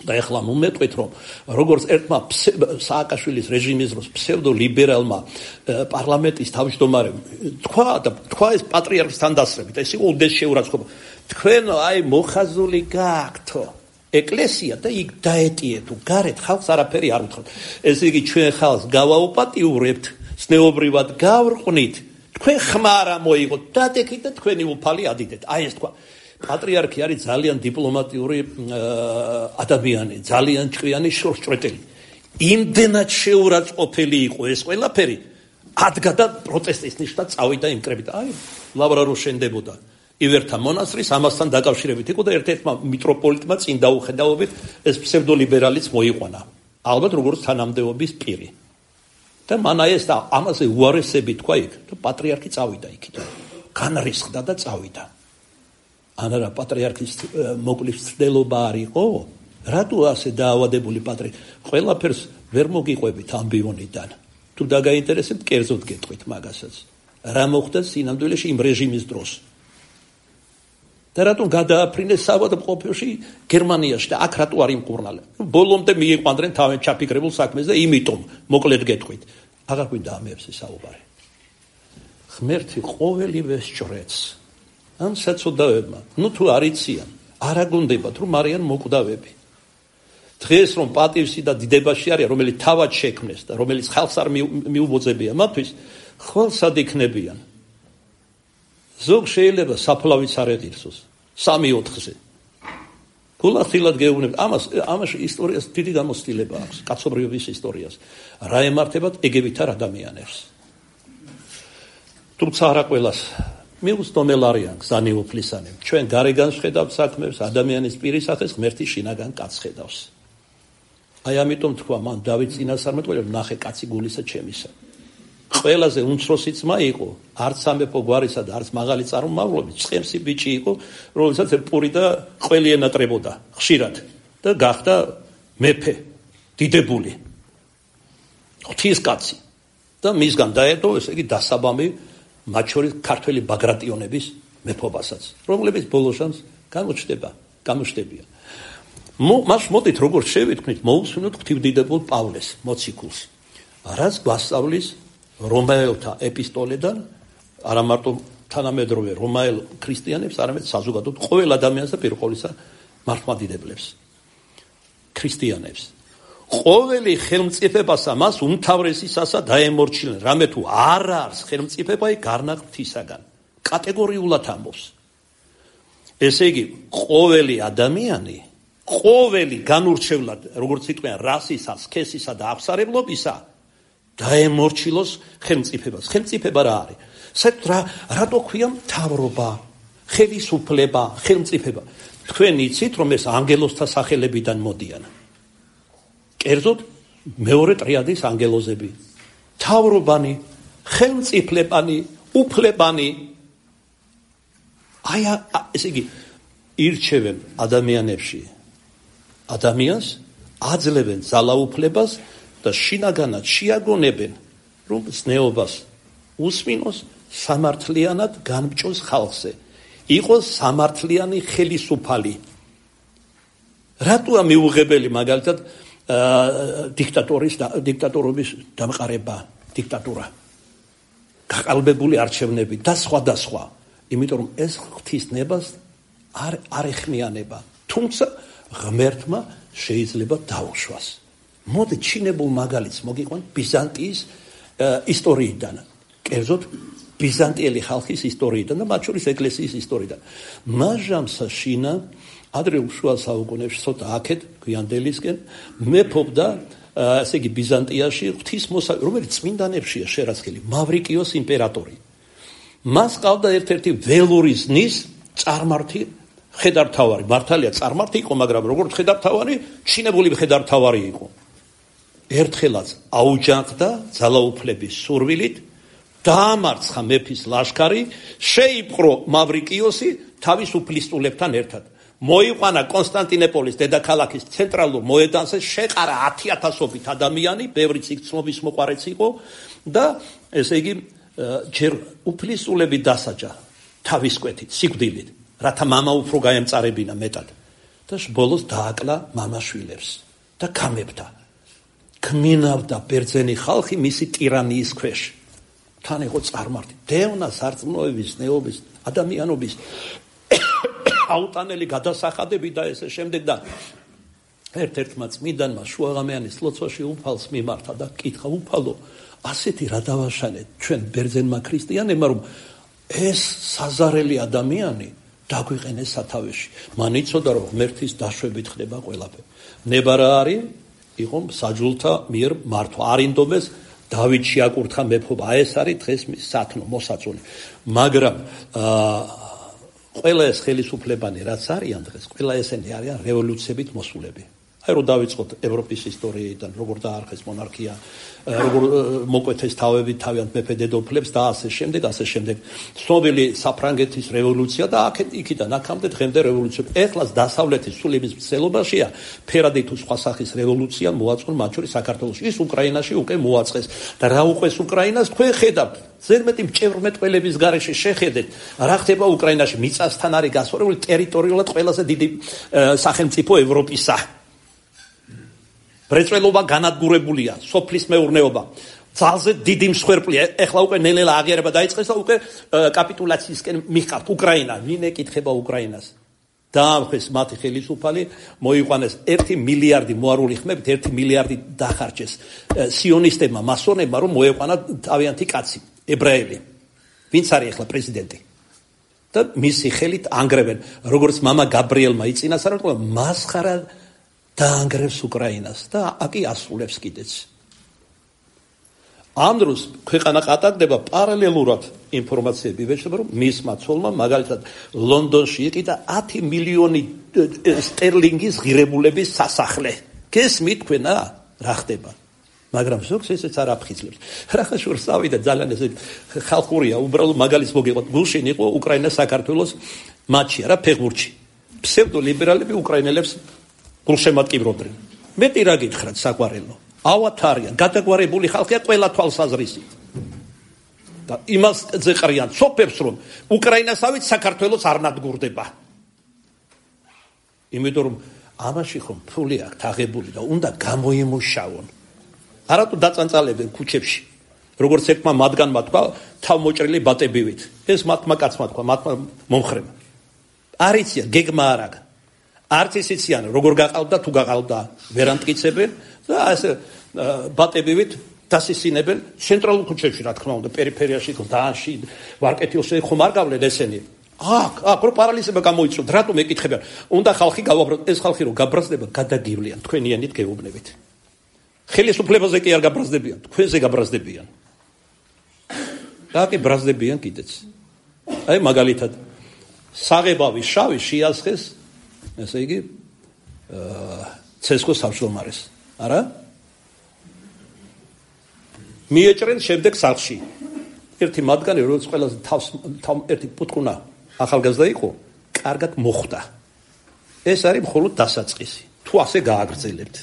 და ეხლა მომეტყვით, რომ როგორც ერთმა სააკაშვილის რეჟიმის დროს ფსევდოლიბერალმა პარლამენტის თავმჯდომარემ თქვა და თქვა ეს პატრიარქთან დასწრებით, ეს იყო უდეს შეურაცხყოფა. თქვენ აი მოხაზული გაქვთო ეკლესია და იქ დაეტიეთ, გარეთ ხალხს არაფერი არ უთხრათ. ესე იგი ჩვენ ხალხს გავაუპატიურებთ, ზნეობრივად გავრყვნით, თქვენ ხმა არ მოიღოთ, დადექით და თქვენი უფალი ადიდეთ. აი ეს თქვა. პატრიარქი არის ძალიან დიპლომატიური ადამიანი, ძალიან ჭკვიანი შორსჭრეტელი. იმდენად შეურაცხყოფელი იყო ეს ყველაფერი, ადგა და პროტესტის ნიშნად წავიდა იმ კრებით. აი, ლავრა რო შენდებოდა ივერთა მონასტრის, ამასთან დაკავშირებით იყო და ერთ-ერთმა მიტროპოლიტმა წინ დაუხედავობით ეს ფსევდოლიბერალიც მოიყვანა. ალბათ როგორც თანამდებობის პირი. და მან აი ეს და ამაზე უარესები თქვა იქ და პატრიარქი წავიდა იქიდან. განრისხდა და წავიდა. ანარა პატრიარქის მოკლის ცდელობა არ იყო? რატო ასე დაავადებული პატრიარქი? ყველაფერს ვერ მოგიყვებით ამბიონიდან. თუ დაგაინტერესებთ, კერძოდ გეტყვით მაგასაც. რა მოხდა სინამდვილეში იმ რეჟიმის დროს? და რატომ გადააფრინეს საავადმყოფოში გერმანიაში და აქ რატო არ იმკურნალე? ბოლომდე მიიყვანდნენ თავენ ჩაფიქრებულ საქმეს და იმიტომ მოკლედ გეტყვით. აღარ გვინდა ამებზე საუბარი. ღმერთი ყოველივე სჭრեց. ამ საწოდავებმა, ნუ თუ არ იციან, არ აგონდებათ, რომ არიან მოკვდავები. დღეს რომ პატივსი და დიდებაში არის, რომელიც თავად შექმნეს და რომელიც ხალხს არ მიუბოძებია მათთვის, ხოლსად იქნებიან. ზოგ შეიძლება საფლავიც არ ეღირსოს, სამი ოთხზე. გულახდილად გეუბნებ, ამას ამაში ისტორიას დიდი გამოცდილება აქვს, კაცობრიობის ისტორიას. რა ემართებათ ეგევითარ ადამიანებს. თუმცა არა ყველას მიუწვდომელ არიან გზანიუფლისანი. ჩვენ გარეგან შედავთ საქმებს, ადამიანის პირისახეს ღმერთი შინაგან კაცს ხედავს. აი ამიტომ თქვა მან დავით წინასწარმეტყველს, ნახე კაცი გულისა ჩემისა. ყველაზე უმცროსი ძმა იყო, არც სამეფო გვარისა და არც მაღალი წარმომავლობის, ცხენსი ბიჭი იყო, რომელსაც პური და ყველი ენატრებოდა ხშირად და გახდა მეფე, დიდებული. ღვთის კაცი და მისგან დაედო, ესე იგი დასაბამი მათ შორის ქართველი ბაგრატიონების მეფობასაც, რომლებიც ბოლოსანს გამოჩნდება, გამოჩნდებიან. მას მოდით როგორც შევიტყვით, მოусმინოთ ღვთივდიდებულ პავლეს მოციქულს, რაც გვასწავლის რომაელთა ეპისტოლედან, არა მარტო თანამედროვე რომაელ ქრისტიანებს, არამედ საზოგადოდ ყოველ ადამიანს და პირველისა მართლმადიდებლებს, ქრისტიანებს. ყოველი ხელმწიფებასა მას უმთავრესისასა დაემორჩილენ, რამე თუ არ არის ხელმწიფება გარნაღ ღვთისაგან. კატეგორიულად ამბობს. ესე იგი, ყოველი ადამიანი, ყოველი განურჩევლად, როგორც იტყვიან, რასისა, სქესისა და აღსარებლობისა დაემორჩილოს ხელმწიფებას. ხელმწიფება რა არის? საერთოდ რა რატო ქვია მთავრობა, ხელისუფლება, ხელმწიფება? თქვენ იცით, რომ ეს ანგელოზთა სახელებიდან მოდიან. კერძოდ მეორე ტრიადის ანგელოზები. მთავრობანი, ხელმწიფლებანი, უფლებანი. აი ესე იგი ირჩევენ ადამიანებში ადამიანს, აძლევენ ძალაუფლებას და შინაგანად შეაგონებენ, რომ ზნეობას უსმინოს, სამართლიანად განბჭოს ხალხზე. იყოს სამართლიანი ხელისუფალი. რატოა მიუღებელი მაგალითად დიქტატორის დიქტატორობის დამყარება, დიქტატურა, გაყალბებული არჩევნები და სხვა და სხვა. იმიტომ რომ ეს ღვთისნებას არ არ ეხმიანება. თუმცა ღმერთმა შეიძლება დაუშვას. მოდი ჩინებულ მაგალითს მოგიყვან ბიზანტიის ისტორიიდან, კერძოდ ბიზანტიელი ხალხის ისტორიიდან და მათ შორის ეკლესიის ისტორიიდან. მაჟამსა შინა ადრეულ შუა საუკუნეებში, ცოტა აქეთ გვიანდელისკენ მეფობდა, ესე იგი ბიზანტიაში ღვთისმოსა, რომელიც წმინდანებშია შერაცხილი, მავრიკიოს იმპერატორი. მას ყავდა ერთ-ერთი ველურიზნის წარმართი ხედართავარი. მართალია წარმართი იყო, მაგრამ როგორც ხედართავარი, ჩინებული ხედართავარი იყო. ერთხელაც აუჯანყდა ძალაუფლების სურვილით, დაამარცხა მეფის ლაშქარი, შეიპყრო მავრიკიოსი თავის უფლისწულებთან ერთად. მოიყვანა კონსტანტინოპოლის დედაქალაქის ცენტრალურ მოედანზე, შეყარა ათიათასობით ადამიანი, ბევრი ციგცნობის მოყარეც იყო და ესე იგი ჯერ უფლისწულები დასაჯა თავის კვეთით, სიკვდილით, რათა მამა უფრო გაემწარებინა მეტად და ბოლოს დააკლა მამაშვილებს და გამებდა. კმინავდა ბერძენი ხალხი მისი ტირანიის ქვეშ. თან იყო წარმართი, დევნა სარწმუნოების, ნეობის, ადამიანობის აუტანელი გადასახადები და ესე შემდეგ და ერთ-ერთმა წმინდანმა შუაღამიანის ლოცვაში უფალს მიმართა და კითხა, უფალო, ასეთი რა დავაშალეთ ჩვენ ბერძენმა ქრისტიანებმა, რომ ეს საზარელი ადამიანი დაგვიყენეს სათავეში. მან იცოდა, რომ ღმერთის დაშვებით ხდება ყველაფერი. ნება რა არის? იყო საჯულთა მიერ მართვა. არინდომეს დავით შეაკურთხა მეფობა. ეს არის დღეს სათნო მოსაწონი. მაგრამ ყველა ეს ხელისუფლებანი რაც არიან დღეს, ყველა ესენი არიან რევოლუციებით მოსულები. აი რომ დავიწყოთ ევროპის ისტორიიდან, როგორ დაარხეს მონარქია, როგორ მოკვეთეს თავები თავიანთ მეფე დედოფლებს და ასე შემდეგ, ასე შემდეგ. ცნობილი საფრანგეთის რევოლუცია და აქეთ იქიდან აქამდე დღემდე რევოლუცია. ეხლაც დასავლეთის სულების მცდელობაშია ფერადი თუ სხვა სახის რევოლუცია მოაწყო მათ შორის საქართველოში. ის უკრაინაში უკვე მოაწყეს და რა უყვეს უკრაინას თქვენ ხედავთ. ზედმეტი მჭევრმეტყველების გარეშე შეხედეთ, რა ხდება უკრაინაში. მიწასთან არის გასწორებული ტერიტორიულად ყველაზე დიდი სახელმწიფო ევროპისა. მრეწველობა განადგურებულია, სოფლის მეურნეობა. ძალზე დიდი მსხვერპლია. ეხლა უკვე ნელ-ნელა აღიარება დაიწყეს და უკვე კაპიტულაციისკენ მიხართ უკრაინა. ვინ ეკითხება უკრაინას? დაამხეს მათი ხელისუფალი, მოიყვანეს ერთი მილიარდი მოარული ხმებით, ერთი მილიარდი დახარჯეს სიონისტებმა, მასონებმა, რომ მოეყვანა თავიანთი კაცი, ებრაელი. ვინც არის ახლა პრეზიდენტი? და მისი ხელით ანგრევენ, როგორც მამა გაბრიელმა იწინასწარ, მასხარა დაანგრევს უკრაინას და აკი ასრულებს კიდეც. ამ დროს ქვეყანა ყატარდება პარალელურად ინფორმაციები ვეშლება, რომ მისმა ცოლმა მაგალითად ლონდონში იყიდა ათი მილიონი სტერლინგის ღირებულების სასახლე. გესმით თქვენა რა ხდება? მაგრამ ზოგს ესეც არ აფხიზლებს. რახა შორს ავიდა ძალიან ესე ხალხურია, უბრალოდ მაგალითს მოგიყვანთ. გულშინ იყო უკრაინა საქართველოს მატჩი, რა ფეხბურთში. ფსევდოლიბერალები უკრაინელებს გულშემატკივრობდნენ. მეტი რა გითხრათ საყვარელო. ავათარიან, გადაგვარებული ხალხია ყველა თვალსაზრისით. და იმას ზეყრიან სოფებს, რომ უკრაინასავით საქართველოს არ ნადგურდება. იმიტომ რომ ამაში ხომ ფული აქვს აღებული და უნდა გამოიმუშავონ. არათუ დაწანწალებენ ქუჩებში. როგორც ერთმა მათგანმა თქვა, თავმოჭრილი ბატებივით. ეს მათმა კაცმა თქვა, მათმა მომხრემა. არ იციან, გეგმა არ აქვს. არც ის იციან, როგორ გაყავდა, თუ გაყავდა, ვერ ამტკიცებენ და ასე ბატებივით დასისინებენ ცენტრალურ ქუჩებში, რა თქმა უნდა, პერიფერიაში, გლდანში, ვარკეთილში ხომ არ გავლენ ესენი. აქ, აქ რო პარალიზება გამოიწვევთ, რატომ ეკითხებიან? უნდა ხალხი გავაბრაზდეთ, ეს ხალხი რო გაბრაზდება, გადაგივლიან თქვენიანით გეუბნებით. ხელისუფლებაზე კი არ გაბრაზდებიან, თქვენზე გაბრაზდებიან. და კი ბრაზდებიან კიდეც. აი მაგალითად, საღებავი შავი შეასხეს, ესე იგი, ცესკოს თავმჯდომარეს. არა? მიეჭრენ შემდეგ სახლში. ერთი მათგანი, როგორც ყველაზე თავს ერთი პუტკუნა ახალგაზრდა იყო, კარგად მოხვდა. ეს არის მხოლოდ დასაწყისი. თუ ასე გააგრძელებთ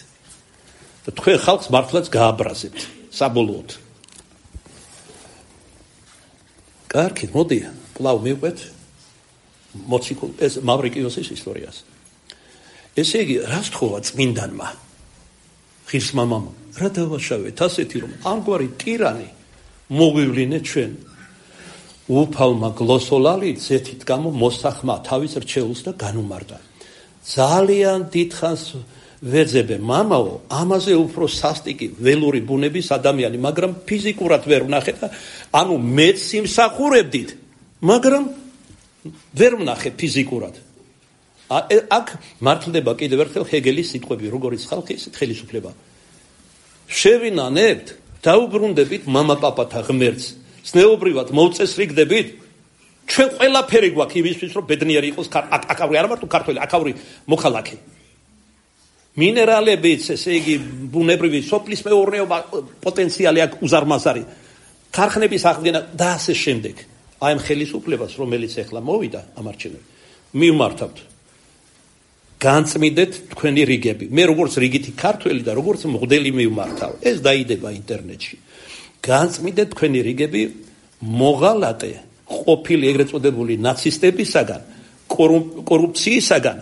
და თქვენ ხალხს მართლაც გააბრაზებთ საბოლოოდ. კარგი, მოდი, კვლავ მივყვეთ მოციქულ ეს მავრიკიოსის ისტორიას. ესე იგი, რას თხოვა წმინდანმა? ღირსმამამ, რა დავაშავეთ ასეთი, რომ ამგვარი ტირანი მოგვივლინეთ ჩვენ. უფალმა გლოსოლალი ზეთით გამო მოსახმა თავის რჩეულს და განუმარდა. ძალიან დიდხანს ვეძებე მამაო, ამაზე უფრო სასტიკი ველური ბუნების ადამიანი, მაგრამ ფიზიკურად ვერ ვნახე და ანუ მეც სიმსახურებდით, მაგრამ ვერ ვნახე ფიზიკურად. აქ მართლდება კიდევ ერთხელ ჰეგელის სიტყვები, როგორც ხალხი, ისეთ ხელისუფლება. შევინანებთ, დაუბრუნდებით მამა-პაპათა ღმერთს, ზნეობრივად მოვწესრიგდებით, ჩვენ ყველაფერი გვაქვს იმისთვის, რომ ბედნიერი იყოს აქავრი, არა მარტო ქართველი, აქავრი მოქალაქე. მინერალებიც, ესე იგი, ბუნებრივი სოფლის მეურნეობა პოტენციალი აქვს უზარმაზარი. ქარხნების აღდგენა და ასე შემდეგ. აი ამ ხელისუფლებას, რომელიც ახლა მოვიდა ამ არჩევნებში, მივმართავთ. განწმიდეთ თქვენი რიგები. მე როგორც რიგითი ქართველი და როგორც მღვდელი მივმართავ. ეს დაიდება ინტერნეტში. განწმიდეთ თქვენი რიგები მოღალატე ყოფილი ეგრეთ წოდებული ნაცისტებისაგან, კორუფციისაგან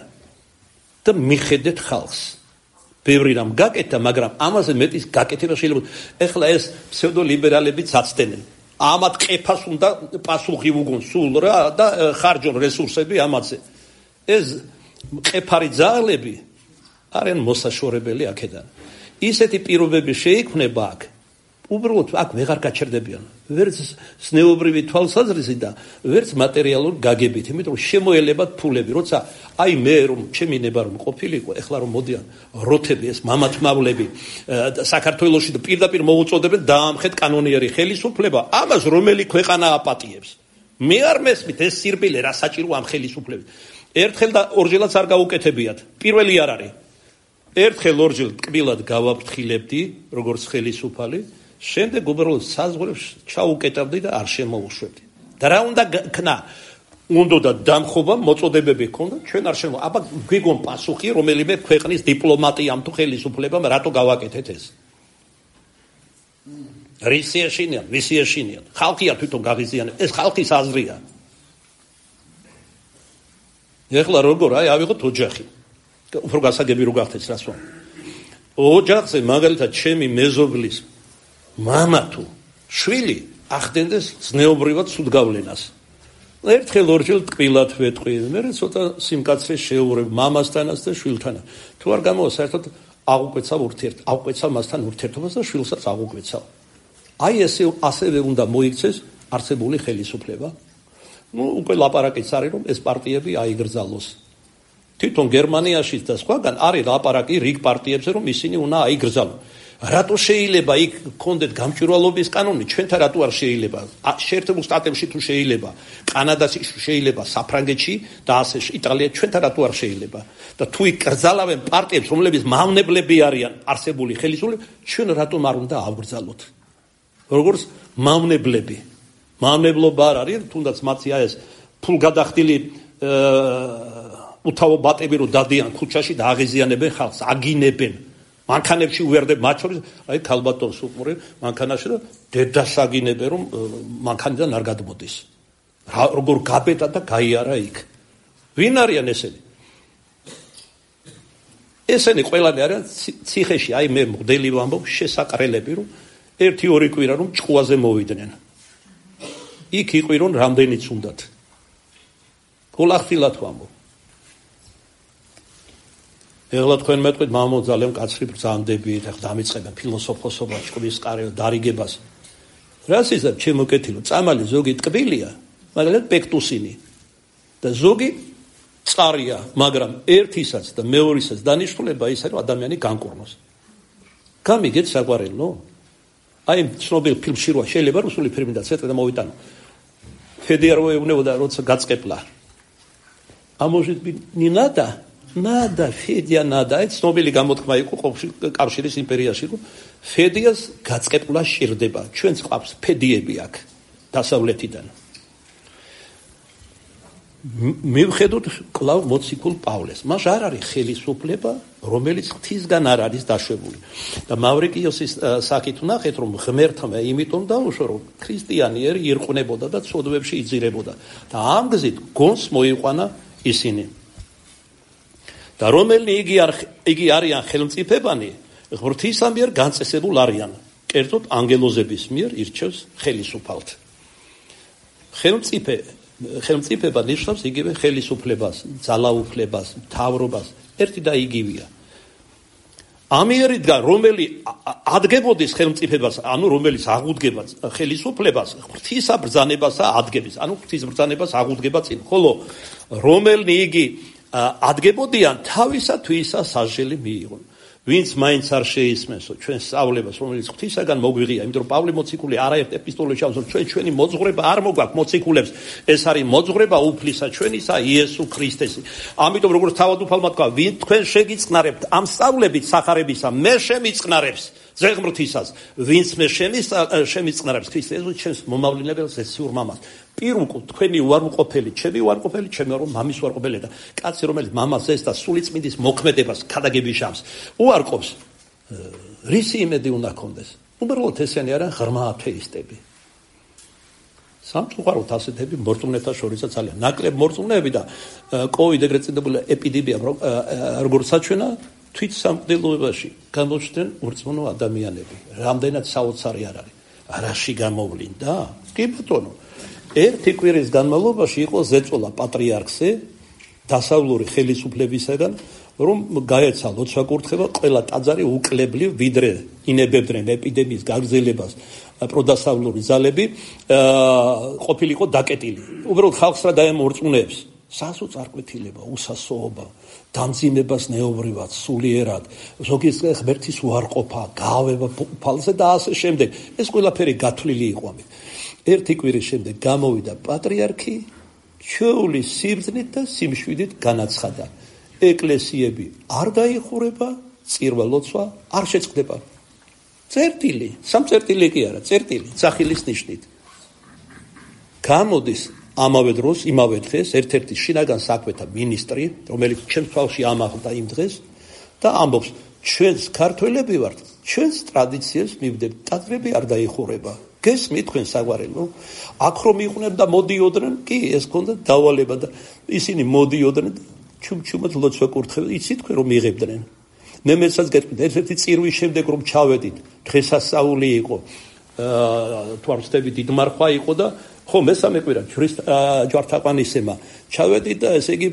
და მიხედეთ ხალხს. ბევრი რამ გაკეთა, მაგრამ ამაზე მეტის გაკეთება შეიძლება. ეხლა ეს ფსევდოლიბერალებიც აცდენენ. ამათ ყეფას უნდა პასუხი უგონ სულ რა და ხარჯონ რესურსები ამაზე. ეს ყეფარი ძალები არიან მოსაშორებელი აქედან. ისეთი პირობები შეიქმნება აქ. უბრალოდ აქ ვეღარ გაჩერდებიან. ვერც ზნეობრივი თვალსაზრისით და ვერც მატერიალურ გაგებით, იმიტომ რომ შემოელებათ ფულები. როცა აი მე რომ ჩემი ნება რომ ყოფილიყო, ეხლა რომ მოდიან როთები ეს მამათმავლები საქართველოში და პირდაპირ მოუწოდებენ დაამხეთ კანონიერი ხელისუფლება, ამას რომელი ქვეყანა აპატიებს. მე არ მესმით ეს სირბილე რა საჭირო ამ ხელისუფლების. ერთხელ და ორჯერაც არ გაუკეთებიათ. პირველი არ არის. ერთხელ ორჯერ ტკბილად გავაფრთხილებდი, როგორც ხელისუფალი, შემდეგ უბრალოდ საზღვრებს ჩაუკეტავდი და არ შემოუშვებდი. და რა უნდა ქნა? უნდა დამხობა, მოწოდებები ჰქონდა, ჩვენ არ შემო. აბა გვიგონ პასუხი, რომელიმე ქვეყნის დიპლომატიამ თუ ხელისუფლებამ რატო გავაკეთეთ ეს? რისი ეშინიან, ვისი ეშინიან? ხალხია თვითონ გაღიზიანებს. ეს ხალხის აზრია. ეხლა როგორ აი ავიღოთ ოჯახი. უფრო გასაგები რო გახდეთ რას ვამ. ოჯახზე მაგალითად ჩემი მეზობლის მამა თუ შვილი ახდენდეს ზნეობრივად სუდგავლენას. ერთხელ ორჯერ ტკბილად ვეტყვი, მე ცოტა სიმკაცრე შეურებ მამასთანაც და შვილთანაც. თუ არ გამოვა საერთოდ აღუკვეცავ ურთიერთ, აღუკვეცავ მასთან ურთიერთობას და შვილსაც აღუკვეცავ. აი ესე ასევე უნდა მოიქცეს არსებული ხელისუფლება. ნუ უკვე ლაპარაკიც არის რომ ეს პარტიები აიგრძალოს. თვითონ გერმანიაში და სხვაგან არის ლაპარაკი რიგ პარტიებზე რომ ისინი უნდა აიგრძალონ. რატო შეიძლება იქ გქონდეთ გამჭვირვალობის კანონი, ჩვენთან რატო არ შეიძლება? შეერთებულ შტატებში თუ შეიძლება, კანადაში შეიძლება, საფრანგეთში და ასე იტალია ჩვენთან რატო არ შეიძლება? და თუ იქ კრძალავენ პარტიებს, რომლებიც მავნებლები არიან არსებული ხელისუფლება, ჩვენ რატომ არ უნდა ავგრძალოთ? როგორც მავნებლები. მავნებლობა არ არის, თუნდაც მათი აი ეს ფულგადახდილი უთავო ბატები რო დადიან ქუჩაში და აღიზიანებენ ხალხს, აგინებენ. მანქანებში უვერდებ მათ შორის, აი ქალბატონს უყურე მანქანაში და დედას აგინებენ რომ მანქანიდან არ გადმოდის. როგორ გაბედა და გაიარა იქ. ვინ არიან ესენი? ესენი ყველანი არიან ციხეში, აი მე მოდელი ვამბობ შესაყრელები რომ ერთი ორი კვირა რომ ჭყუაზე მოვიდნენ. იქ იყვირონ რამდენიც უნდათ. გოლახტილად ვამბობ. ეხლა თქვენ მეტყვით მამო ძალიან კაცრი ბრძანდებით, ახლა დამიწყებენ ფილოსოფოსობას, ჭკვის კარევ დარიგებას. რას იზარ ჩემო კეთილო, წამალი ზოგი ტკბილია, მაგალითად პექტუსინი. და ზოგი წყარია, მაგრამ ერთისაც და მეორისაც დანიშნულება ის არის რომ ადამიანი განკურნოს. გამიგეთ საყვარელო? აი ცნობილ ფილმში როა შეიძლება რუსული ფილმი და ცეტა და მოვიტანო. ფედეროვე უნებოდა როცა გაწყებლა. А может быть не надо? Надо, Федя, надо. ეს ცნობილი გამოთქმა იყო კავშირის იმპერიაში, რომ ფედიას გაწყებლა სჭირდება. ჩვენც ყავს ფედიები აქ დასავლეთიდან. მივხედოთ კლავ მოციქულ პავლეს. მას არ არის ხელისუფლება, რომელიც ღვთისგან არ არის დაშვებული. და მავრიკიოსის საკით ვნახეთ, რომ ღმერთმა იმიტომ დაუშვა, რომ ქრისტიანიერი ირყვნებოდა და ცოდვებში იძირებოდა. და ამ გზით გონს მოიყვანა ისინი. და რომელი იგი არ იგი არიან ხელმწიფებანი, ღვთისა მიერ განწესებულ არიან. კერძოდ ანგელოზების მიერ ირჩევს ხელისუფალთ. ხელმწიფე ხელმწიფება ნიშნავს იგივე ხელისუფლებას, ძალაუფლებას, მთავრობას, ერთი და იგივეა. ამიერიდან რომელი ადგებოდის ხელმწიფებას, ანუ რომელიც აღუდგება ხელისუფლებას, ღვთისა ბრძანებას ადგენს, ანუ ღვთის ბრძანებას აღუდგება წინ, ხოლო რომელი იგი ადგებოდიან თავისა თვისა სასჯელი მიიღონ. ვინც მაინც არ შეისმენსო ჩვენ სწავლებას, რომელიც ღვთისაგან მოგვიღია, იმიტომ რომ პავლე მოციქული არაერთ ეპისტოლეში ამბობს, ჩვენ ჩვენი მოძღვრება არ მოგვაქვს მოციქულებს, ეს არის მოძღვრება უფლისა ჩვენისა იესო ქრისტესი. ამიტომ როგორც თავადუფალმა თქვა, ვინ თქვენ შეგიწყნარებთ ამ სწავლებით სახარებისა, მე შემიწყნარებს ზეღმრთისას, ვინც მე შემიწყნარებს ქრისტეს იესოს ჩემს მომავლებელს ეციურ მამას. პირუკო თქვენი უარყოფელი, ჩემი უარყოფელი, ჩემი მამის უარყოფელი და კაცი რომელიც მამას ეს და სულიწმინდის მოქმედებას ქადაგებიშავს, უარყოფს. რისი იმედი უნდა ქონდეს? უბრალოდ ესენი არიან ღრმა ათეისტები. სამწუხაროდ ასეთები მორწმუნეთა შორისაც ძალიან ნაკლებ მორწმუნეები და კოვიდ ეგრეთ წოდებული ეპიდემია როგორც საჩვენა თვით სამყდილოებაში გამოჩნდნენ ურწმუნო ადამიანები. რამდენად საოცარი არ არის. რაში გამოვლინდა? კი ბატონო. ერთი კვირის განმავლობაში იყო ზეწოლა პატრიარქზე დასავლური ხელისუფლებისაგან, რომ გაეცა ლოცვა-კურთხევა ყველა ტაძარი უკლებლივ ვიდრე ინებებდნენ ეპიდემიის გაგრძელებას პროდასავლური ძალები ყოფილიყო დაკეტილი. უბრალოდ ხალხს რა დაემორწმუნეებს სასო წარკვეთილება, უსასოობა, დამძიმებას ნეობრივად, სულიერად, ზოგის ღმერთის უარყოფა, გაავება უფალზე და ასე შემდეგ. ეს ყველაფერი გათვლილი იყო ამით. ერთი კვირის შემდეგ გამოვიდა პატრიარქი, ჩვეული სიბრძნით და სიმშვიდით განაცხადა. ეკლესიები არ დაიხურება, წირვა-ლოცვა არ შეწყდება. წერტილი, სამწერტილი კი არა, წერტილი, სახილის ნიშნით. გამოდის ამავე დროს, იმავე დღეს, ერთ-ერთი შინაგან საქმეთა მინისტრი, რომელიც ჩემს თვალში ამაღლდა იმ დღეს და ამბობს, ჩვენს ქართველები ვართ, ჩვენს ტრადიციებს მივდებით, ტაძრები არ დაიხურება. გესმით თქვენ საგვარელო? აქ რომ იყვნენ და მოდიოდნენ, კი, ეს ქონდა დავალება და ისინი მოდიოდნენ და ჩუმჩუმად ლოცვა კურთხევდა, იცით თქვენ რომ იღებდნენ. მე მეცაც გეტყვით, ერთ-ერთი წირვის შემდეგ რომ ჩავედით, დღესასწაული იყო, თუ არ ვცდები დიდმარხვა იყო და ხო მესამე კვირა ჯვართაყვანისემა ჩავედით და ესე იგი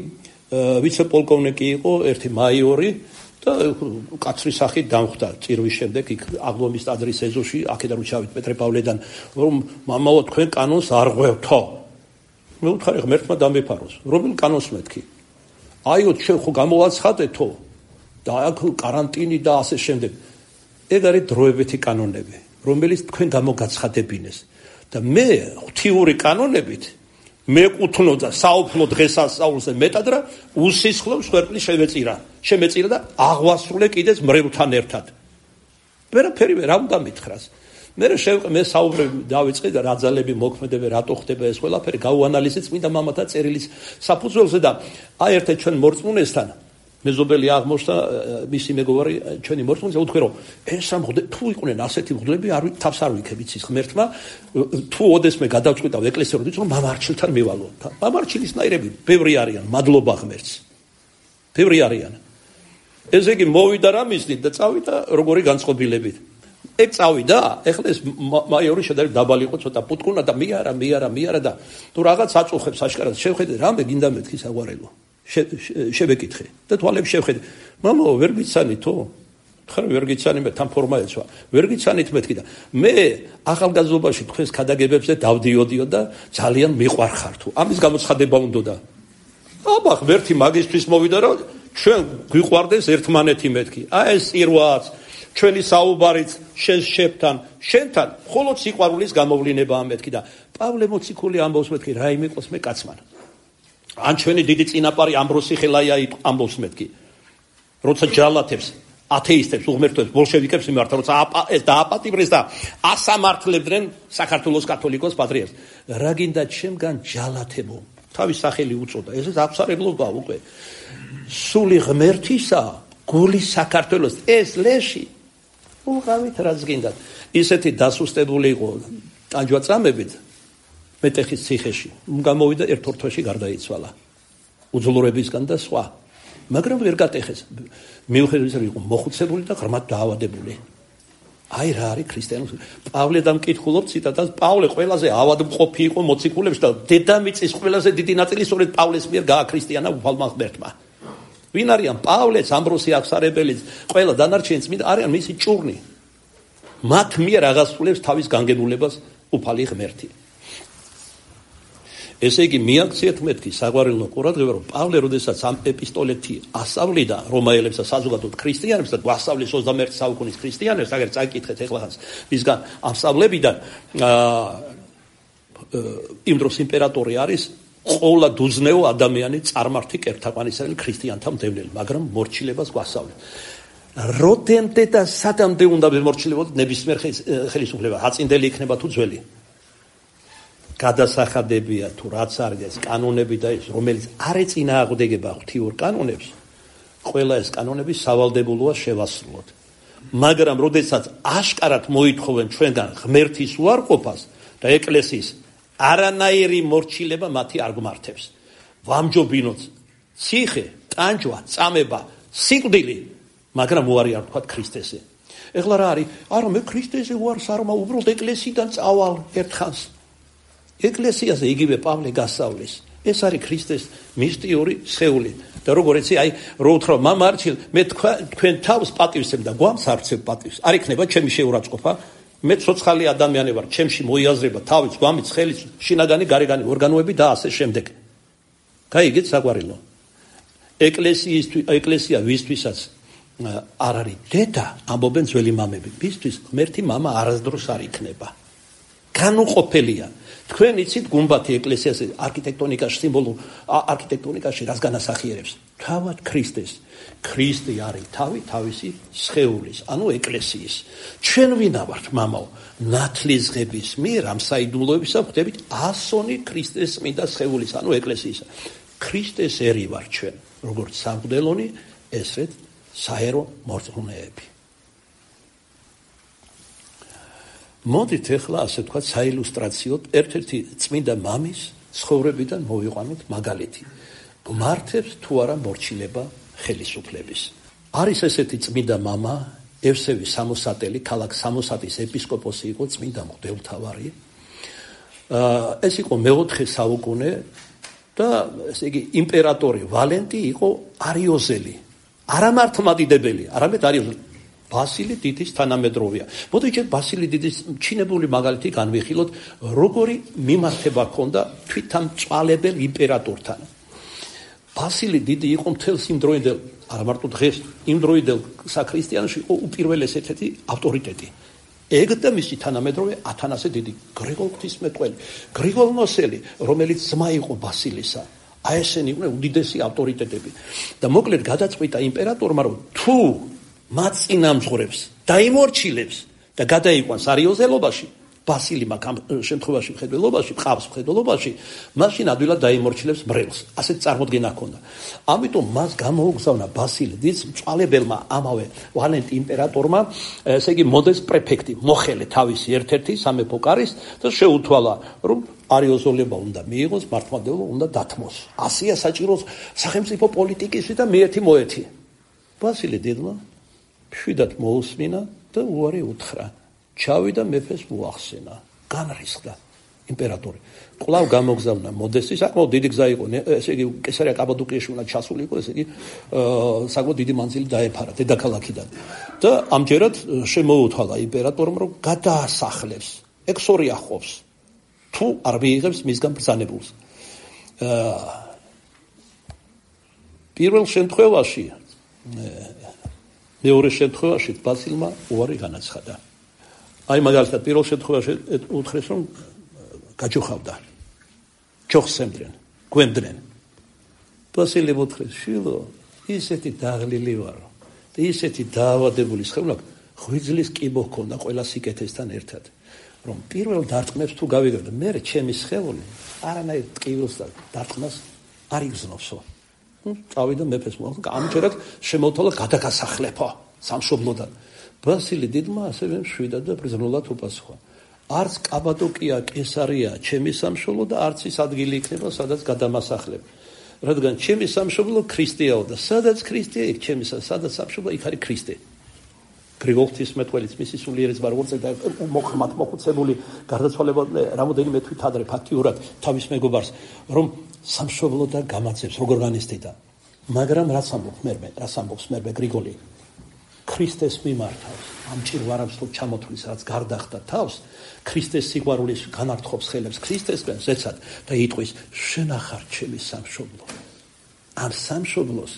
ვიცე-პოლკოვნიკი იყო, ერთი მაიორი და კაცრის სახით დამხვდა წირვის შემდეგ იქ აღლომის ტაძრის ეზოში, აქედან რომ ჩავით პეტრე-პავლედან, რომ მამაო თქვენ კანონს არ ღვევთო. მე ვუთხარი ღმერთმა დამეფაროს. რომელ კანონს მეთქი? აიო ჩვენ ხო გამოვაცხადეთო და აქ კარანტინი და ასე შემდეგ. ეგ არის დროებითი კანონები, რომელიც თქვენ გამოგაცხადებინეს. და მე ღვთიური კანონებით მეკუთვნოდა საუფლო დღესასწაულზე მეტად რა უსისხლო მსხვერპლი შემეწირა შემეწირა და აღვასრულე კიდეც მრევლთან ერთად. ვერაფერი ვერ უნდა მითხრას. მე მე საუბრები დავიწყე და რა ძალები მოქმედებენ, რატო ხდება ეს ყველაფერი, გავუანალიზე წმინდა მამათა წერილის საფუძველზე და აი ერთ ჩვენ მორწმუნესთან მეზობელი აღმოჩნდა მისი მეგობარი ჩვენი მორწმუნე უთქვი რომ ეს ამ თუ იყვნენ ასეთი მღვდლები არ თავს არ ვიქებ იცის ღმერთმა თუ ოდესმე გადავწყვიტავ ეკლესიურად რომ მამარჩილთან მივალო. მამარჩილისნაირები ბევრი არიან, მადლობა ღმერთს. ბევრი არიან. ესე იგი მოვიდა რა მისდით და წავიდა როგორი განწყობილებით. ეგ წავიდა, ეხლა ეს მაიორი შედარებით დაბალი იყო, ცოტა პუტკუნა და მიარა, მიარა, მიარა და თუ რაღაც აწუხებს აშკარად შევხედე, რამე გინდა მეთქი საგვარელო. შევეკითხე და თვალებს შევხედე. მამაო, ვერ გიცანითო? ხარ ვერ გიცანი მე თან ფორმა ეცვა. ვერ გიცანით მეთქი და მე ახალგაზრდობაში თქვენს ქადაგებებზე დავდიოდიო და ძალიან მიყვარხარ თუ. ამის გამოცხადება უნდოდა. აბა, ღმერთი მაგისტრის მოვიდა რომ ჩვენ გვიყვარდეს ერთმანეთი მეთქი. აი ეს ირვაც ჩვენი საუბარიც შენ შებთან, შენთან მხოლოდ სიყვარულის გამოვლინებაა მეთქი და პავლე მოციქული ამბობს მეთქი რა იმიყოს მე კაცმან. ან ჩვენი დიდი წინაპარი ამბროსი ხელაია ამბობს მეთქი. როცა ჯალათებს, ათეისტებს, უღმერთოებს, ბოლშევიკებს იმართა, როცა ეს დააპატიმრეს და ასამართლებდნენ საქართველოს კათოლიკოს პატრიარქს. რა გინდა ჩემგან ჯალათებო? თავის სახელი უწოდა. ეს აღსარებლობა უკვე. სული ღმერთისა, გული საქართველოს ეს ლეში უღავით რაც გინდათ. ისეთი დასუსტებული იყო ტანჯვაწამებით მეტეხის ციხეში. გამოვიდა ერთ ორ თვეში გარდაიცვალა. უძლურებისგან და სხვა. მაგრამ ვერ გატეხეს. მიუხედავად იმისა, იყო მოხუცებული და ღრმად დაავადებული. აი რა არის ქრისტიანობა. პავლედამ მკითხულობ ციტატას, პავლე ყველაზე ავადმყოფი იყო მოციქულებში და დედამიწის ყველაზე დიდი ნაწილი სწორედ პავლეს მიერ გააქრისტიანა უფალმა ღმერთმა. ვინ არიან პავლეც, ამბროსი აღსარებელიც, ყველა დანარჩენი წმინდა არიან მისი ჭურნი. მათ მიერ აღასრულებს თავის განგებულებას უფალი ღმერთი. ესე იგი მიაქციეთ მეთქი საგვარეულო ყურადღება რომ პავლე როდესაც ამ ეპისტოლეთი ასავლიდა რომაელებს და საზოგადოდ ქრისტიანებს და გვასწავლის ოცდამეერთე საუკუნის ქრისტიანებს, აგერ წაკითხეთ ეხლახანს მისგან ამსავლებიდან იმ დროს იმპერატორი არის ყოლა დუზნეო ადამიანი წარმართი კერთაყვანისელი ქრისტიანთა მდევნელი, მაგრამ მორჩილებას გვასწავლებს. როდემდე და სადამდე უნდა მორჩილებოდეთ ნებისმიერ ხელისუფლება, აწინდელი იქნება თუ ძველი. გადასახადებია თუ რაც არის ეს კანონები და ეს რომელიც არ ეწინააღმდეგება ღვთიურ კანონებს, ყველა ეს კანონები სავალდებულოა შევასრულოთ. მაგრამ როდესაც აშკარად მოითხოვენ ჩვენგან ღმერთის უარყოფას და ეკლესიის არანაირი მორჩილება მათი არ გმართებს. ვამჯობინოთ ციხე, ტანჯვა, წამება, სიკვდილი, მაგრამ უარი არ თქვათ ქრისტესზე. ეხლა რა არის? არა, მე ქრისტესზე უარს არ მაქვს, უბრალოდ ეკლესიიდან წავალ ერთხანს. ეკლესიაზე იგივე პავლე გასწავლის. ეს არის ქრისტეს მისტიური სხეული. და როგორ ეცი, აი, რო უთხრა მამარჩილ, მე თქვენ თავს პატივსებ და გვამს არცებ პატივს. არ იქნება ჩემი შეურაცხყოფა. მე ცოცხალი ადამიანი ვარ, ჩემში მოიაზრება თავის, გვამის, ხელის, შინაგანი, გარეგანი ორგანოები და ასე შემდეგ. გაიგეთ საგვარელო. ეკლესიისთვის, ეკლესია ვისთვისაც არ არის დედა, ამბობენ ძველი მამები. ვისთვის ღმერთი მამა არასდროს არ იქნება. განუყოფელია. თქვენ იცით გუმბათი ეკლესიაზე არქიტექტონიკაში სიმბოლურ არქიტექტონიკაში რას განასახიერებს? თავად ქრისტეს. ქრისტე არის თავი თავისი სხეულის, ანუ ეკლესიის. ჩვენ ვინა ვართ, მამაო? ნათლისღების მიერ ამ საიდუმლოებისა ვხვდებით ასონი ქრისტეს წმინდა სხეულის, ანუ ეკლესიისა. ქრისტეს ერი ვარ ჩვენ, როგორც სამღვდელონი, ესრეთ საერო მორწმუნეები. მოდით ეხლა ასე თქვა საილუსტრაციოდ ერთ-ერთი წმინდა მამის ცხოვრებიდან მოვიყვანოთ მაგალითი. გმართებს თუ არა მორჩილება ხელისუფლების. არის ესეთი წმინდა მამა, ევსევი სამოსატელი, ქალაქ სამოსატის ეპისკოპოსი იყო, წმინდა მღვდელმთავარი. ეს იყო მეოთხე საუკუნე და ესე იგი იმპერატორი ვალენტი იყო არიოზელი. არა მართლმადიდებელი, არამედ არიოზელი. ბასილი დიდის თანამედროვეა. მოდით ბასილი დიდის ჩინებული მაგალითი განვიხილოთ, როგორი მიმართება ჰქონდა თვითამწვალებელ იმპერატორთან. ბასილი დიდი იყო მთელს იმ დროინდელ, არა მარტო დღეს, იმ დროინდელ საქრისტიანოში იყო უპირველეს ერთ-ერთი ავტორიტეტი. ეგ და მისი თანამედროვე ათანასე დიდი, გრიგოლ ღვთისმეტყველი, გრიგოლ ნოსელი, რომელიც ძმა იყო ბასილისა. აი ესენი იყვნენ უდიდესი ავტორიტეტები. და მოკლედ გადაწყვიტა იმპერატორმა, რომ თუ მათ წინამძღვრებს დაიმორჩილებს და გადაიყვანს არიოზელობაში, ბასილიმ ამ შემთხვევაში მხედველობაში, ყავს მხედველობაში, მაშინ ადვილად დაიმორჩილებს მრევლს. ასეთ წარმოდგენა ჰქონდა. ამიტომ მას გამოუგზავნა ბასილი დიდს მწვალებელმა ამავე ვალენტი იმპერატორმა, ესე იგი მოდეს პრეფექტი, მოხელე თავისი ერთ-ერთი სამეფო კარის და შეუთვალა, რომ არიოზოლება უნდა მიიღოს, მართლმადიდებლობა უნდა დათმოს. ასია საჭიროს სახელმწიფო პოლიტიკისა და მიერთი მოეთი. ბასილი დიდმა შვიდად მოусმინა და უარი უთხრა. ჩავიდა მეფეს მოახსენა. განრისხდა იმპერატორი. კვლავ გამოგზავნა მოდესის, საკმაოდ დიდი გზა იყო, ესე იგი კესარია კაბადოკიაში უნდა ჩასული იყო, ესე იგი საკმაოდ დიდი მანძილი დაეფარა დედაქალაქიდან. და ამჯერად შემოუთვალა იმპერატორმა, რომ გადაასახლებს, ექსორიახობს, თუ არ მიიღებს მისგან ბრძანებულს. პირველ შემთხვევაში მეორე შემთხვევაში ბასილმა უარი განაცხადა. აი მაგალითად პირველ შემთხვევაში უთხრეს, რომ გაჯოხავდა. ჯოხს ემდრენ, გვემდრენ. ბასილი უთხრეს, შილო, ისეთი დაღლილი ვარო და ისეთი დაავადებული სხეულა, ღვიძლის კიბო ჰქონდა ყველა სიკეთესთან ერთად, რომ პირველ დარტყმებს თუ გავიგებდა, მე ჩემი სხეული არანაირ ტკივილს და დარტყმას არ იგზნოსო. წავიდა მეფეს მოახსნა, ამჯერად შემოთვალა გადაგასახლებო სამშობლოდან. ბასილი დიდმა ასევე მშვიდად და ბრძნულად უპასუხა. არც კაბადოკია, კესარია ჩემი სამშობლო და არც ის ადგილი იქნება, სადაც გადამასახლებ. რადგან ჩემი სამშობლო ქრისტეაო და სადაც ქრისტეა, იქ ჩემი სადაც სამშობლო, იქ არის ქრისტე. გრიგოლ ღვთისმეტყველიც მისი სულიერი ძმა როგორც და მოხმათ მოხუცებული გარდაცვალებამდე რამოდენიმე თვით ადრე ფაქტიურად თავის მეგობარს, რომ სამშობლო და გამაცებს როგორ განიცდიდა. მაგრამ რაც ამბობს მერმე, რაც ამბობს მერმე გრიგოლი, ქრისტეს მიმართავს, ამ ჭირვარამს თუ ჩამოთვლის, რაც გარდახდა თავს, ქრისტეს სიყვარულის განართხოვს ხელებს ქრისტესგან, ზეცად და იტყვის, შენ ახარ ჩემი სამშობლო. ამ სამშობლოს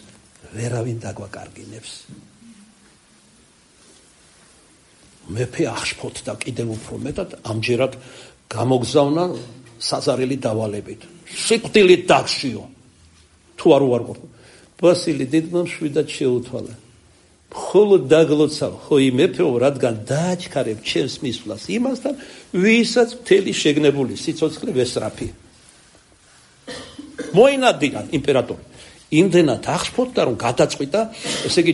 ვერავინ დაგვაკარგინებს. მეფე აღშფოთდა კიდევ უფრო მეტად, ამჯერად გამოგზავნა საზარელი დავალებით. სიკვდილით დაგშიო. თუ არ უარყოფ. ბასილი დიდმა მშვიდად შეუთვალა. ხოლო დაგლოცავ, ხო იმეფეო, რადგან დააჩქარებ ჩემს მისვლას იმასთან, ვისაც მთელი შეგნებული სიცოცხლე ვესწრაფი. მოინადირა იმპერატორი. იმდენად აღშფოთდა, რომ გადაწყვიტა, ესე იგი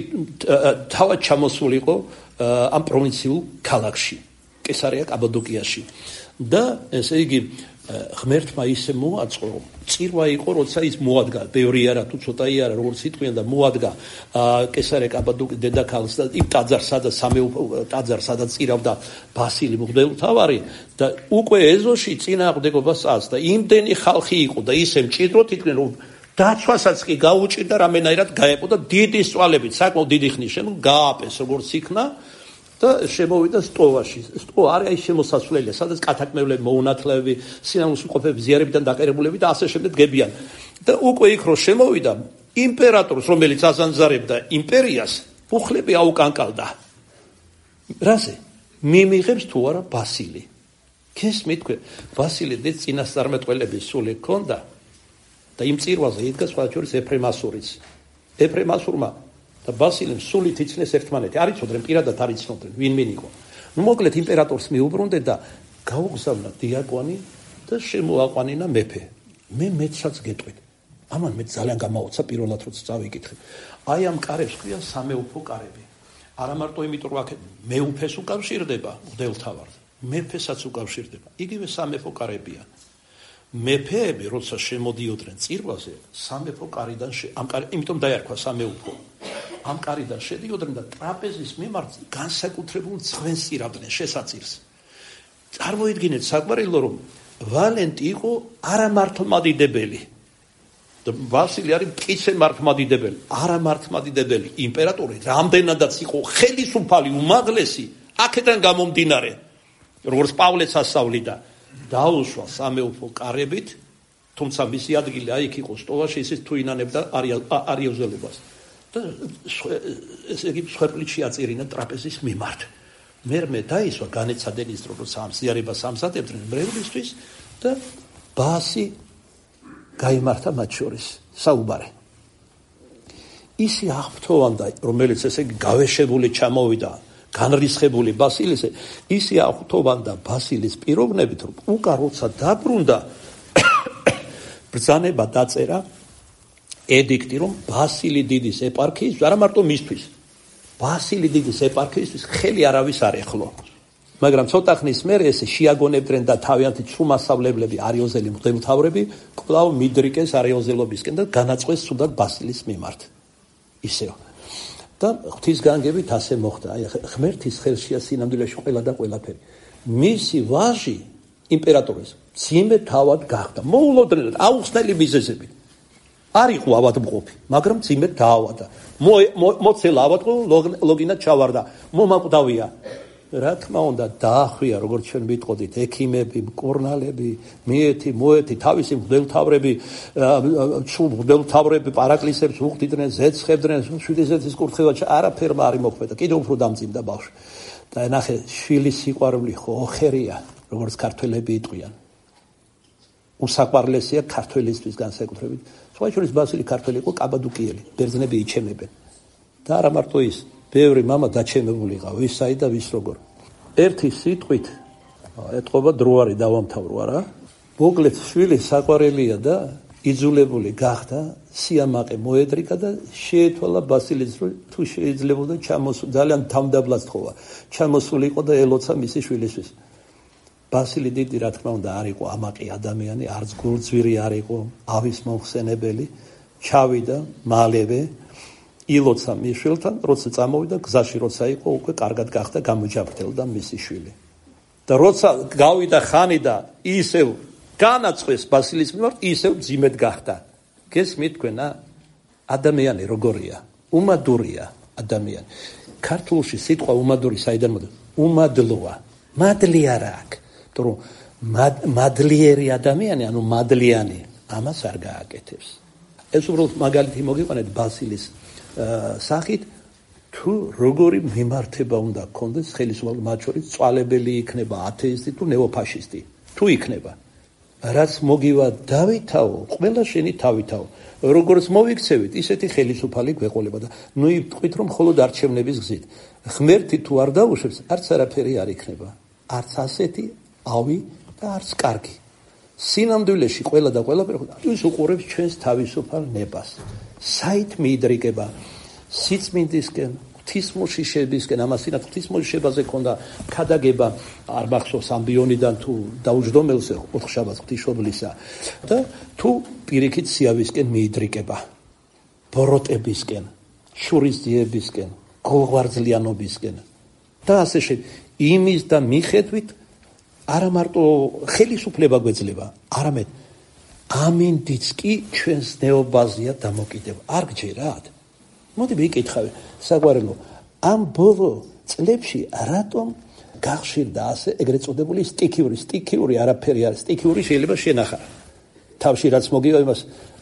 თავად ჩამოსულიყო ამ პროვინციულ ქალაქში, კესარია კაბადოკიაში. და ესე იგი ღმერთმა ისე მოაწყო, წირვა იყო, როცა ის მოადგა, ბევრი არა თუ ცოტაი არა, როგორც იტყვიან და მოადგა კესარია კაბადოკიის დედაქალაქს და იმ ტაძარს, სადაც სამეუფო ტაძარს, სადაც წირავდა ბასილი მღვდელმთავარი და უკვე ეზოში წინააღმდეგობას აწ და იმდენი ხალხი იყო და ისე მჭიდროდ იტყვიან, რომ დაცვასაც კი გაუჭირდა რამენაირად გაეყო და დიდი სწვალებით, საკმაოდ დიდი ხნის შემდგომ გააპეს, როგორც იქნა და შემოვიდა სტოვაში. სტო არის შემოსასვლელია, სადაც კათაკმევლები, მოუნათლეები, სინამდვილეში ზიარებიდან დაყერებულები და ასე შემდეგ დგებიან. და უკვე იქ რო შემოვიდა, იმპერატორს, რომელიც აზანზარებდა იმპერიას, უხლები აუკანკალდა. რაზე? მიმიღებს თუ არა ბასილი. გესმით თქვენ, ბასილი დიდ წინასწარმეტყველების სული ჰქონდა და იმ წირვაზე იდგა სხვა შორის ეფრემ ასურიც. ეფრემ ასურმა და ბასილემ სულით იცნეს ერთმანეთი. არ იცოდნენ, პირადად არ იცოდნენ, ვინ ვინ იყო. ნუ მოკლედ იმპერატორს მიუბრუნდნენ და გაუგზავნა დიაკვანი და შემოაყვანინა მეფე. მე მეცაც გეტყვით. ამან მე ძალიან გამაოცა პირველად როცა წავიკითხე. აი ამ კარებს ქვია სამეუფო კარები. არა მარტო იმიტომ რომ აქ მეუფეს უკავშირდება მღვდელმთავარს, მეფესაც უკავშირდება. იგივე სამეფო კარებია. მეფეები როცა შემოდიოდნენ წირვაზე, სამეფო კარიდან ამ კარი, იმიტომ დაერქვა სამეუფო. ამ კარიდან შედიოდნენ და ტრაპეზის მიმართ განსაკუთრებულ ძღვენს ირავდნენ შესაწირს. წარმოიდგინეთ საყვარელო, რომ ვალენტი იყო არამართლმადიდებელი. ვასილი არის მტკიცე მართლმადიდებელი, არამართლმადიდებელი იმპერატორი, რამდენადაც იყო ხელისუფალი, უმაღლესი, აქედან გამომდინარე, როგორც პავლეც ასწავლიდა, დაუშვა სამეუფო კარებით, თუმცა მისი ადგილი აი იქ იყო სტოლაში, ისიც თუ ინანებდა არიოზელებას. და ესე იგი მსხვერპლით შეაწერინა ტრაპეზის მიმართ. მერმე დაისვა განეცადნენ რომ სამ ზიარებას ამზადებდნენ მრევლისთვის და ბაასი გაიმართა მათ შორის საუბარი. ისი აღფრთოვანდა, რომელიც ესე იგი გავეშებული ჩამოვიდა, განრისხებული ბასილისე, ისი აღფრთოვანდა ბასილის პიროვნებით, რომ უკან როცა დაბრუნდა ბრძანება დაწერა ედიქტი, რომ ბასილი დიდის ეპარქიის, არა მარტო მისთვის, ბასილი დიდის ეპარქიისთვის ხელი არავის არ ეხლო. მაგრამ ცოტა ხნის მერე ესე შეაგონებდნენ და თავიანთი ცრუმასავლებლები არიოზელი მღვდელმთავრები კვლავ მიდრიკეს არიოზელობისკენ და განაწყვეს თუნდაც ბასილის მიმართ. ისევ. და ღვთისგანგებით ასე მოხდა. აი ღმერთის ხელშია სინამდვილეში ყველა და ყველაფერი. მისი ვაჟი იმპერატორის ძიმე თავად გახდა. მოულოდნელად აუხსნელი მიზეზები. არ იყო ავადმყოფი, მაგრამ ძიმე დაავადა. მოცელა ავადმყოფ ლოგინად ჩავარდა. მომაკვდავია. რა თქმა უნდა დაახვია, როგორც ჩვენ ვიტყოდით, ექიმები, მკურნალები, მიეთი, მოეთი, თავისი მღვდელმთავრები, მღვდელმთავრები პარაკლისებს უხდიდნენ, ზეცხებდნენ, შვიდიზეთის კურთხევა არაფერმა არ იმოქმედა, კიდევ უფრო დამძიმდა ბავშვი. და ნახე, შვილის სიყვარული ხო ოხერია, როგორც ქართველები იტყვიან. უსაყვარლესია ქართველისთვის განსაკუთრებით. სხვა შორის ბასილი ქართველი იყო კაბადუკიელი, ბერძნები იჩემებენ. და არა მარტო ის, ბევრი მამა დაჩემებული იყო, ვისაი და ვის როგორ. ერთი სიტყვით ეთყობა დროარი დავამთავრო არა. მოკლედ შვილი საყვარელია და იძულებული გახდა, სიამაყე მოედრიკა და შეეთვალა ბასილის, რომ თუ შეიძლებოდა ჩამოსულ, ძალიან თავდაბლად თხოვა. ჩამოსული იყო და ელოცა მისი შვილისთვის. ბასილი დიდი რა თქმა უნდა არ იყო ამაყი ადამიანი, არც გულძვირი არ იყო, ავის მომხსენებელი, ჩავიდა მალევე ილოცა მის შვილთან, როცა წამოვიდა გზაში როცა იყო, უკვე კარგად გახდა გამოჯაფრთელდა მისი შვილი. და როცა გავიდა ხანი და ისევ განაწყვეს ბასილის მიმართ, ისევ ძიმედ გახდა. გესმით თქვენა? ადამიანი როგორია? უმადურია ადამიანი. ქართულში სიტყვა უმადური საიდან მოდის? უმადლოა. მადლი არა აქვს. რომ მადლიერი ადამიანი, ანუ მადლიანი, ამას არ გააკეთებს. ეს უბრალოდ მაგალითი მოგიყვანეთ ბასილის სახით, თუ როგორი მიმართება უნდა გქონდეს ხელისუფალ მათ შორის, წვალებელი იქნება ათეისტი თუ ნეოფაშისტი, თუ იქნება. რაც მოგივა დავითაო, ყველა შენი თავითაო. როგორც მოვიქცევით, ისეთი ხელისუფალი გვეყოლება და ნუ იტყვით, რომ მხოლოდ არჩევნების გზით. ღმერთი თუ არ დაუშვებს, არც არაფერი არ იქნება. არც ასეთი ავი და არც კარგი. სინამდვილეში ყველა და ყველაფერი ის უყურებს ჩვენს თავისუფალ ნებას. საით მიიდრიკება სიწმინდისკენ, ღვთისმოშიშებისკენ, ამასინათ ღვთისმოშიშებაზე ქონდა ქადაგება, არ მახსოვს ამბიონიდან თუ დაუჯდომელზე ოთხშაბათს ღვთისმშობლისა და თუ პირიქით სიავისკენ მიიდრიკება, ბოროტებისკენ, შურისძიებისკენ, გულღვარძლიანობისკენ და ასე შემდეგ. იმის და მიხედვით არა მარტო ხელისუფლება გვეძლება, არამედ ამინდიც კი ჩვენს ნეობაზია დამოკიდება. არ გჯერათ? მოდი ვიკითხავ, საყვარელო, ამ ბოლო წლებში რატომ გახშირდა ასე ეგრეთ წოდებული სტიქიური, სტიქიური არაფერი არის, სტიქიური შეიძლება შენახა. თავში რაც მოგივა იმას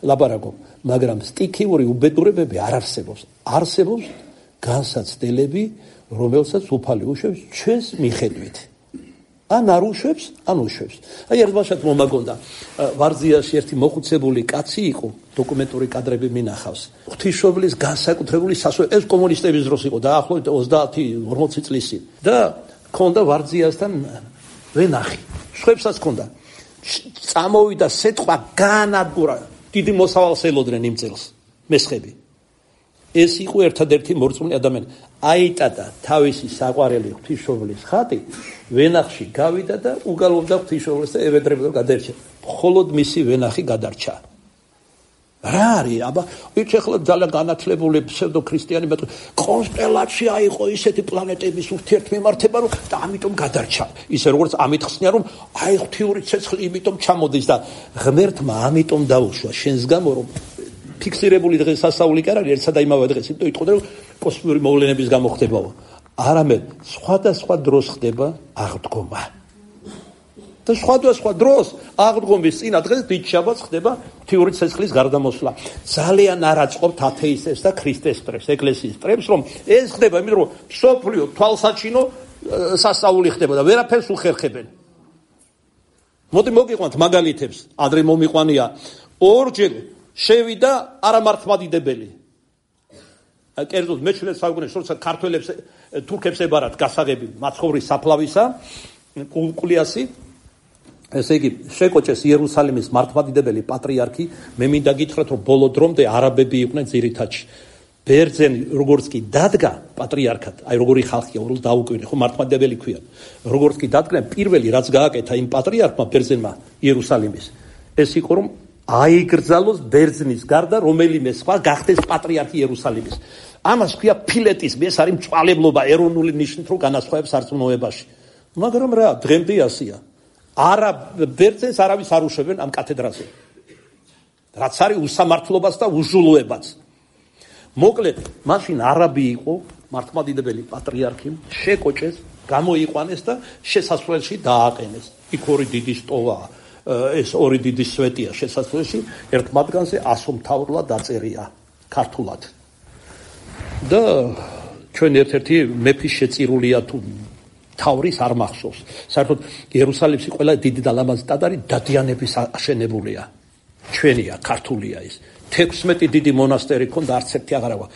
ლაპარაკობ, მაგრამ სტიქიური უბედურებები არ არსებობს. არსებობს განსაცდელები, რომელსაც უფალი უშვებს ჩვენს მიხედვით. ან არ უშვებს, ან უშვებს. აი ერთ ბაშად მომაგონდა, ვარძიაში ერთი მოხუცებული კაცი იყო, დოკუმენტური კადრები მინახავს. ღვთისმშობლის განსაკუთრებული სასწაული, ეს კომუნისტების დროს იყო, დაახლოებით ოცდაათი ორმოცი წლის წინ. და ქონდა ვარძიასთან ვენახი. შვებსაც ქონდა. წამოვიდა სიტყვა განადგურა. დიდი მოსავალს ელოდნენ იმ წელს მესხები. ეს იყო ერთადერთი მორწმუნე ადამიანი. აიტადა თავისი საყვარელი ღვთისმშობლის ხატი, ვენახში გავიდა და უგალობდა ღვთისმშობლს და ევედრებოდა გადარჩა. მხოლოდ მისი ვენახი გადარჩა. რა არის? აბა, იცი ახლა ძალიან განათლებული ფსევდოქრისტიანი მეტყვი, კონსტელაცია იყო ისეთი პლანეტების ურთიერთმემართება, რომ და ამიტომ გადარჩა. ისე როგორც ამით ხსნიან, რომ აი ღვთიური ცეცხლი იმიტომ ჩამოდის და ღმერთმა ამიტომ დაუშვა შენს გამო, რომ ფიქსირებული დღესასწაული კი არ არის ერთსა და იმავე დღეს, იმიტომ იტყოდა, რომ კოსმიური მოვლენების გამო ხდებაო. არამედ სხვადასხვა დროს ხდება აღდგომა. და სხვადასხვა დროს აღდგომის წინა დღეს დიდ შაბათს ხდება ღვთიური ცეცხლის გარდამოსვლა. ძალიან არ აწყობთ ათეისტებს და ქრისტეს მტრებს, ეკლესიის მტრებს, რომ ეს ხდება, იმიტომ რომ სოფლიო თვალსაჩინო სასწაული ხდება და ვერაფერს უხერხებენ. მოდი მოგიყვანთ მაგალითებს, ადრე მომიყვანია ორჯერ შევიდა არამართლმადიდებელი. კერძოდ მეჩვენე საუკუნეში, როცა ქართველებს თურქებს ებარათ გასაღები მაცხოვრის საფლავისა, კულკულიასი ესე იგი შეკოჭეს იერუსალიმის მართლმადიდებელი პატრიარქი, მე მინდა გითხრათ, რომ ბოლო დრომდე არაბები იყვნენ ძირითადში. ბერძენი როგორც კი დადგა პატრიარქად, აი როგორი ხალხია, უბრალოდ დაუკვირნე, ხო მართლმადიდებელი ქვია. როგორც კი დადგა, პირველი რაც გააკეთა იმ პატრიარქმა ბერძენმა იერუსალიმის, ეს იყო რომ აიგრძალოს ბერძნის გარდა რომელიმე სხვა გახდეს პატრიარქი იერუსალიმის. ამას ქვია ფილეტიზმი, ეს არის მწვალებლობა ეროვნული ნიშნით რო განასხვავებს სარწმუნოებაში. მაგრამ რა, დღემდე ასია. არა ბერძენს არავის არ უშვებენ ამ კათედრაზე. რაც არის უსამართლობას და უჟულოებაც. მოკლედ, მაშინ არაბი იყო მართლმადიდებელი პატრიარქი, შეკოჭეს, გამოიყვანეს და შესასვლელში დააყენეს. იქ ორი დიდი სტოლა, ეს ორი დიდი სვეტია შესასვლელში, ერთ მათგანზე ასომთავრლა დაწერია ქართულად. და ჩვენ ერთ-ერთი მეფის შეწირულია თუ თავრის არ მახსოვს. საერთოდ იერუსალიმში ყველა დიდი და ლამაზი ტაძარი დადიანების აშენებულია. ჩვენია, ქართულია ის. თექვსმეტი დიდი მონასტერი ქონდა, არც ერთი აღარა აქვს.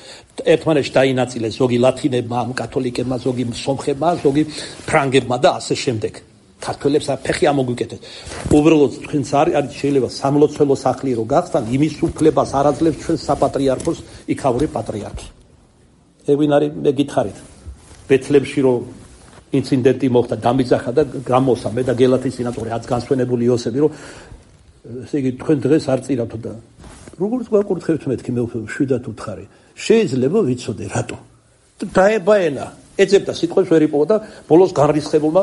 ერთმანეთში დაინაწილეს ზოგი ლათინებმა, კათოლიკებმა, ზოგი სომხებმა, ზოგი ფრანგებმა და ასე შემდეგ. ქართველებს ფეხი ამოგვიკეთეს. უბრალოდ თქვენს არის შეიძლება სამლოცველო სახლი რო გახსთან, იმის უფლებას არ აძლევს ჩვენ საპატრიარქოს იქაური პატრიარქი. ეგ ვინ არის? მე გითხარით. ბეთლემში რო ინციდენტი მოხდა, დამიძახა და გამოსა მე და გელათის სენატორი აც განსვენებული იოსები, რომ ესე იგი თქვენ დღეს არ წირავთ და როგორც გვაკურთხებთ მეთქი მე შვიდათ უთხარი. შეიძლება ვიცოდე რატო? დაებაენა, ეძებდა სიტყვებს ვერ იპოვა და ბოლოს განრისხებულმა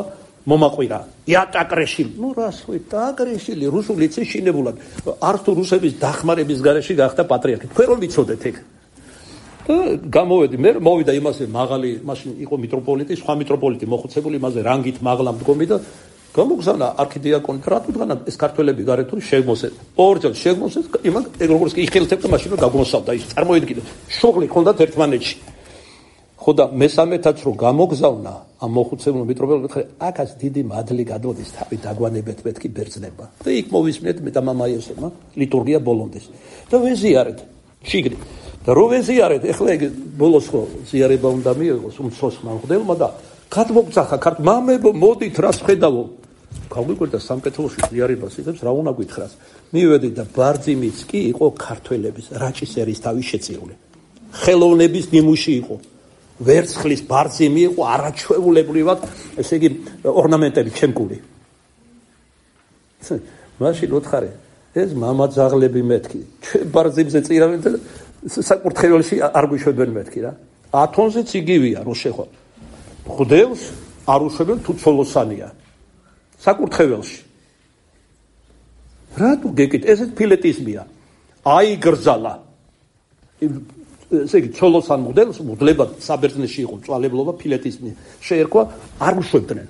მომაყვირა. იატაკრეშილი. ნუ რას ვით, დააკრეშილი, რუსული იცი შინებულად. არც თუ რუსების დახმარების გარეშე გახდა პატრიარქი. თქვენ რომ ვიცოდეთ ეგ. და გამოვედი, მე მოვიდა იმასე მაღალი, მაშინ იყო მიტროპოლიტი, სხვა მიტროპოლიტი მოხუცებული, იმაზე რანგით მაღლა მდგომი და გამოგზავნა არქიდიაკონი, რატო დგანა ეს ქართველები გარეთ თუ შეგმოსეთ. ორჯერ შეგმოსეთ, იმან ეგ როგორც კი იხილთებდა მაშინ რომ გაგმოსავდა ის. წარმოიდგინე, შუღლი ჰქონდათ ერთმანეთში. ხო და მესამეთაც რომ გამოგზავნა ამ მოხუცებულ მიტროპოლიტს, აქაც დიდი მადლი გადოდის თავი დაგვანებეთ მეთქი ბერძნებმა. და იქ მოვისმენთ მე და მამა იოსებმა ლიტურგია ბოლონდეს. და ვეზიარეთ შიგნით. და რო ვეზიარეთ, ეხლა ეგ ბოლოს ხო ზიარება უნდა მიიღოს უმცროს მამხდელმა და გადმოგძახა ქართ მამებო მოდით რას ხედავო. გავიკვირდა სამკეთელოში ზიარებას იღებს რა უნდა გითხრას. მივედი და ბარძიმიც კი იყო ქართველების რაჭის ერის თავი შეწირული. ხელოვნების ნიმუში იყო. ვერცხლის ბარძიმი იყო არაჩვეულებრივად, ესე იგი ორნამენტები ჩემკული. მაშინ უთხარი, ეს მამაძაღლები მეთქი, ჩვენ ბარძიმზე წირავენ და საკურთხეველში არ გვიშვებენ მეთქი რა. ათონზეც იგივეა რო შეხვა. ხდელს არ უშვებენ თუ ცოლოსანია. საკურთხეველში. რატო გეკით, ესეც ფილეტიზმია. აიგრძალა. ესე იგი ცოლოსან მოდელს მოდლებად საბერძნეთში იყო მწვალებლობა, ფილეტიზმი შეერქვა, არ უშვებდნენ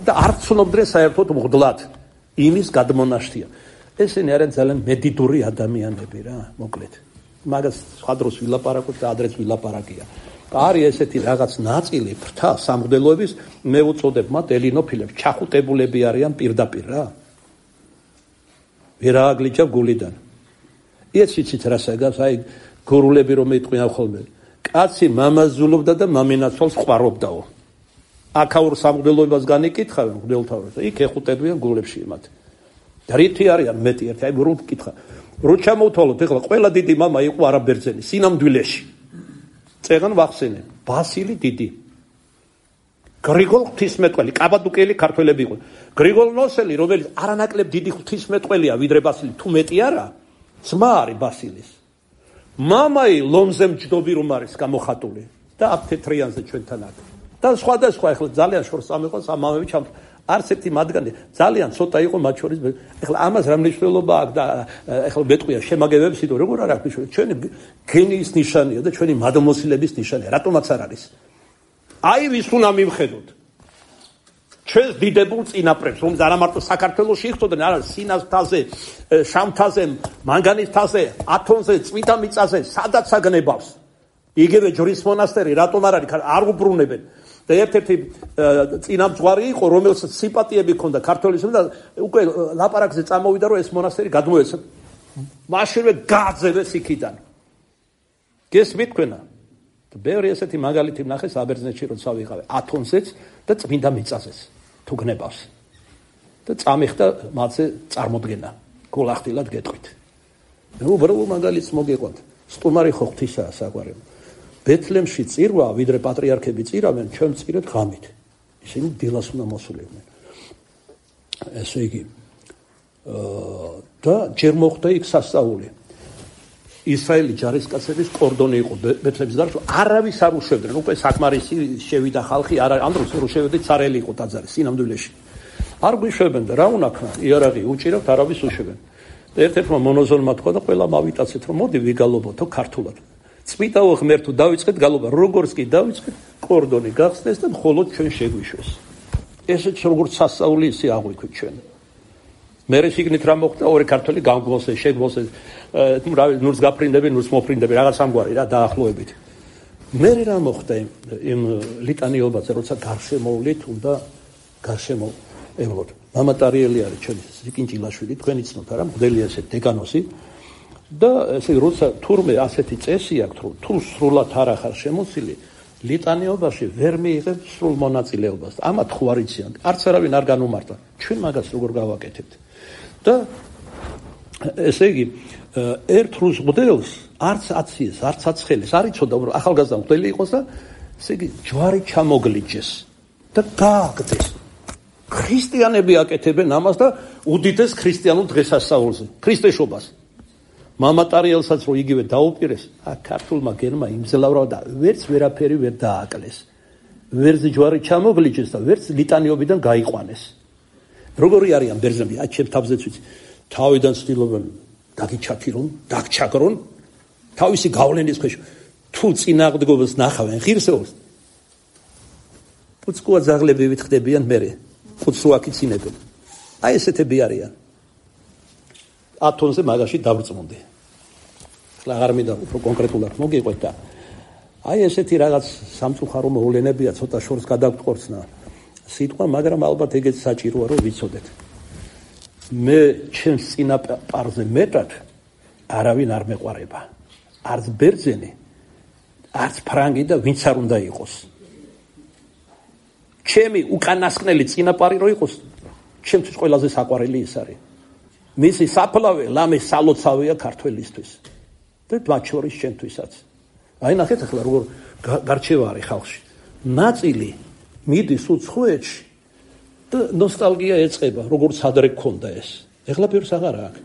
და არ ცნობდნენ საერთოდ მღვდლად იმის გადმონაშთია. ესენი არიან ძალიან მედიდური ადამიანები რა, მოკლედ. მაგას სხვა დროს ვილაპარაკოთ და ადრეც ვილაპარაკია. არის ესეთი რაღაც ნაწილი ფრთა სამღვდელოების, მე უწოდებ მათ ელინოფილებს, ჩახუტებულები არიან პირდაპირ რა. ვერ ააგლიჩავ გულიდან. ეს იცით რა საგავს, აი გურულები რომ ეტყვიან ხოლმე. კაცი მამაზულობდა და მამინაცვალს ყვარობდაო. აქაურ სამღვდელოებას განიკითხავენ მღვდელთავებს და იქ ეხუტებიან გულებში იმათ. და რითი არიან მეტი ერთი, აი რომ გკითხა. რო ჩამოვთვალოთ, ეხლა ყველა დიდი მამა იყო არაბერძენი, სინამდვილეში. წეგან ვახსენე, ბასილი დიდი. გრიგოლ ღვთისმეტყველი, კაბადუკელი ქართველები იყო. გრიგოლ ნოსელი, რომელიც არანაკლებ დიდი ღვთისმეტყველია, ვიდრე ბასილი, თუ მეტი არა, ძმა არის ბასილის. მამაი ლომზე მჯდობი რომ არის გამოხატული და აქ თეთრიანზე ჩვენთან აქ. და სხვადასხვა ახლა ძალიან შორს ამეყოს ამ მამები ჩამ არც ერთი მათგანი ძალიან ცოტა იყო მათ შორის. ახლა ამას რა მნიშვნელობა აქვს და ახლა მეტყვია შემაგებებს იდო როგორ არ აქვს მნიშვნელობა. ჩვენი გენიის ნიშანია და ჩვენი მადმოსილების ნიშანია. რატომაც არ არის? აი ვის უნდა მივხედოთ. ჩვენს დიდებულ წინაპრებს, რომ არა მარტო საქართველოში იხდოდნენ, არა სინასთაზე, შამთაზე, მანგანისთაზე, ათონზე, წმინდა მიწაზე, სადაც აგნებავს. იგივე ჯვრის მონასტერი რატომ არ არის? არ უბრუნებენ. და ერთ-ერთი წინამძღვარი იყო, რომელსაც სიმპათიები ჰქონდა ქართველისმ და უკვე ლაპარაკზე წამოვიდა, რომ ეს მონასტერი გადმოეცა. მაშინვე გააძევეს იქიდან. გესმით თქვენა? ბევრი ესეთი მაგალითი ვნახე საბერძნეთში, როცა ვიყავე ათონზეც და წმინდა მიწაზეც თუ გნებავს. და წამიხდა მათზე წარმოდგენა. გოლახდილად გეტყვით. უბრალოდ მაგალითს მოგეყვანთ. სტუმარი ხო ღვთისაა საყვარელი. ბეთლემში წირვა, ვიდრე პატრიარქები წირავენ, ჩვენ წირეთ ღამით. ისინი დილას უნდა მოსულიყვნენ. ესე იგი, და ჯერ მოხდა იქ სასწაული. ისრაელი ჯარისკაცების კორდონი იყო ბეთლემის გარშემო, არავის არ უშვებდნენ. უკვე საკმარისი შევიდა ხალხი, არა ამ დროს რო შევედი царელი იყო ტაძარი სინამდვილეში. არ გვიშვებენ და რა უნაქნა? იარაღი უჭირავთ, არავის უშვებენ. და ერთ-ერთმა მონოზონმა თქვა და ყველა მავიტაცეთ, რომ მოდი ვიგალობოთო ქართულად. წმიდაო ღმერთო დავიწყეთ გალობა, როგორც კი დავიწყეთ, კორდონი გახსნეს და მხოლოდ ჩვენ შეგვიშვეს. ესეც როგორც სასწაული ისე აღვიქვით ჩვენ. მერე შიგნით რა მოხდა? ორი ქართველი გამგვოსეს, შეგვოსეს, თუ რა ნურს გაფრინდები, ნურს მოფრინდები, რაღაც ამგვარი რა დაახლოებით. მერე რა მოხდა იმ ლიტანიობაზე, როცა გარშემოვლით, უნდა გარშემოევლოთ. მამა ტარიელი არის ჩვენი ზიკინჭილაშვილი, თქვენი ცნოთ არა, მღვდელი ესე დეგანოსი. და ესე როცა თურმე ასეთი წესი აქვს, რომ თუ სრულად არ ახარ შემოსილი, ლიტანიობაში ვერ მიიღებ სრულ მონაწილეობას. ამათ ხო არ იციან, არც არავინ არ განუმარტა. ჩვენ მაგას როგორ გავაკეთებთ? და ესე იგი, ერთ რუს მღვდელს არც აციეს, არც აცხელეს, არ იცოდა, რომ ახალგაზრდა მღვდელი იყოს და ესე იგი, ჯვარი ჩამოგლიჯეს და გააგდეს. ქრისტიანები აკეთებენ ამას და უდიდეს ქრისტიანულ დღესასწაულზე, ქრისტეშობას. მამა ტარიელსაც რო იგივე დაუპირეს, აქ ქართულმა გენმა იმძლავრა და ვერც ვერაფერი ვერ დააკლეს. ვერც ჯვარი ჩამოგლიჯეს და ვერც ლიტანიობიდან გაიყვანეს. როგორი არიან ბერძნები? აი ჩემ თავზეც ვიცი. თავიდან ცდილობენ დაგიჩაქირონ, დაგჩაგრონ, თავისი გავლენის ქვეშ. თუ წინააღმდეგობას ნახავენ ღირსეულს, უცკუა ზაღლები ვითხდებიან მერე. უცრო აქიცინებენ. აი ესეთები არიან. ათონზე მაგაში დავრწმუნდი. ახლა აღარ მინდა უფრო კონკრეტულად მოგიყვეთ და აი ესეთი რაღაც სამწუხარო მოვლენებია, ცოტა შორს გადაგტყორცნა სიტყვა, მაგრამ ალბათ ეგეც საჭიროა რომ ვიცოდეთ. მე ჩემს წინაპარზე მეტად არავინ არ მეყვარება. არც ბერძენი, არც ფრანგი და ვინც არ უნდა იყოს. ჩემი უკანასკნელი წინაპარი რო იყოს, ჩემთვის ყველაზე საყვარელი ის არის. მისი საფლავე ლამე სალოცავია ქართველისთვის და მათ შორის ჩემთვისაც. აი ნახეთ ახლა როგორ გარჩევა არის ხალხში. ნაწილი მიდის უცხოეთში და ნოსტალგია ეწყება, როგორც ადრე გქონდა ეს. ეხლა ბევრს აღარ აქვს.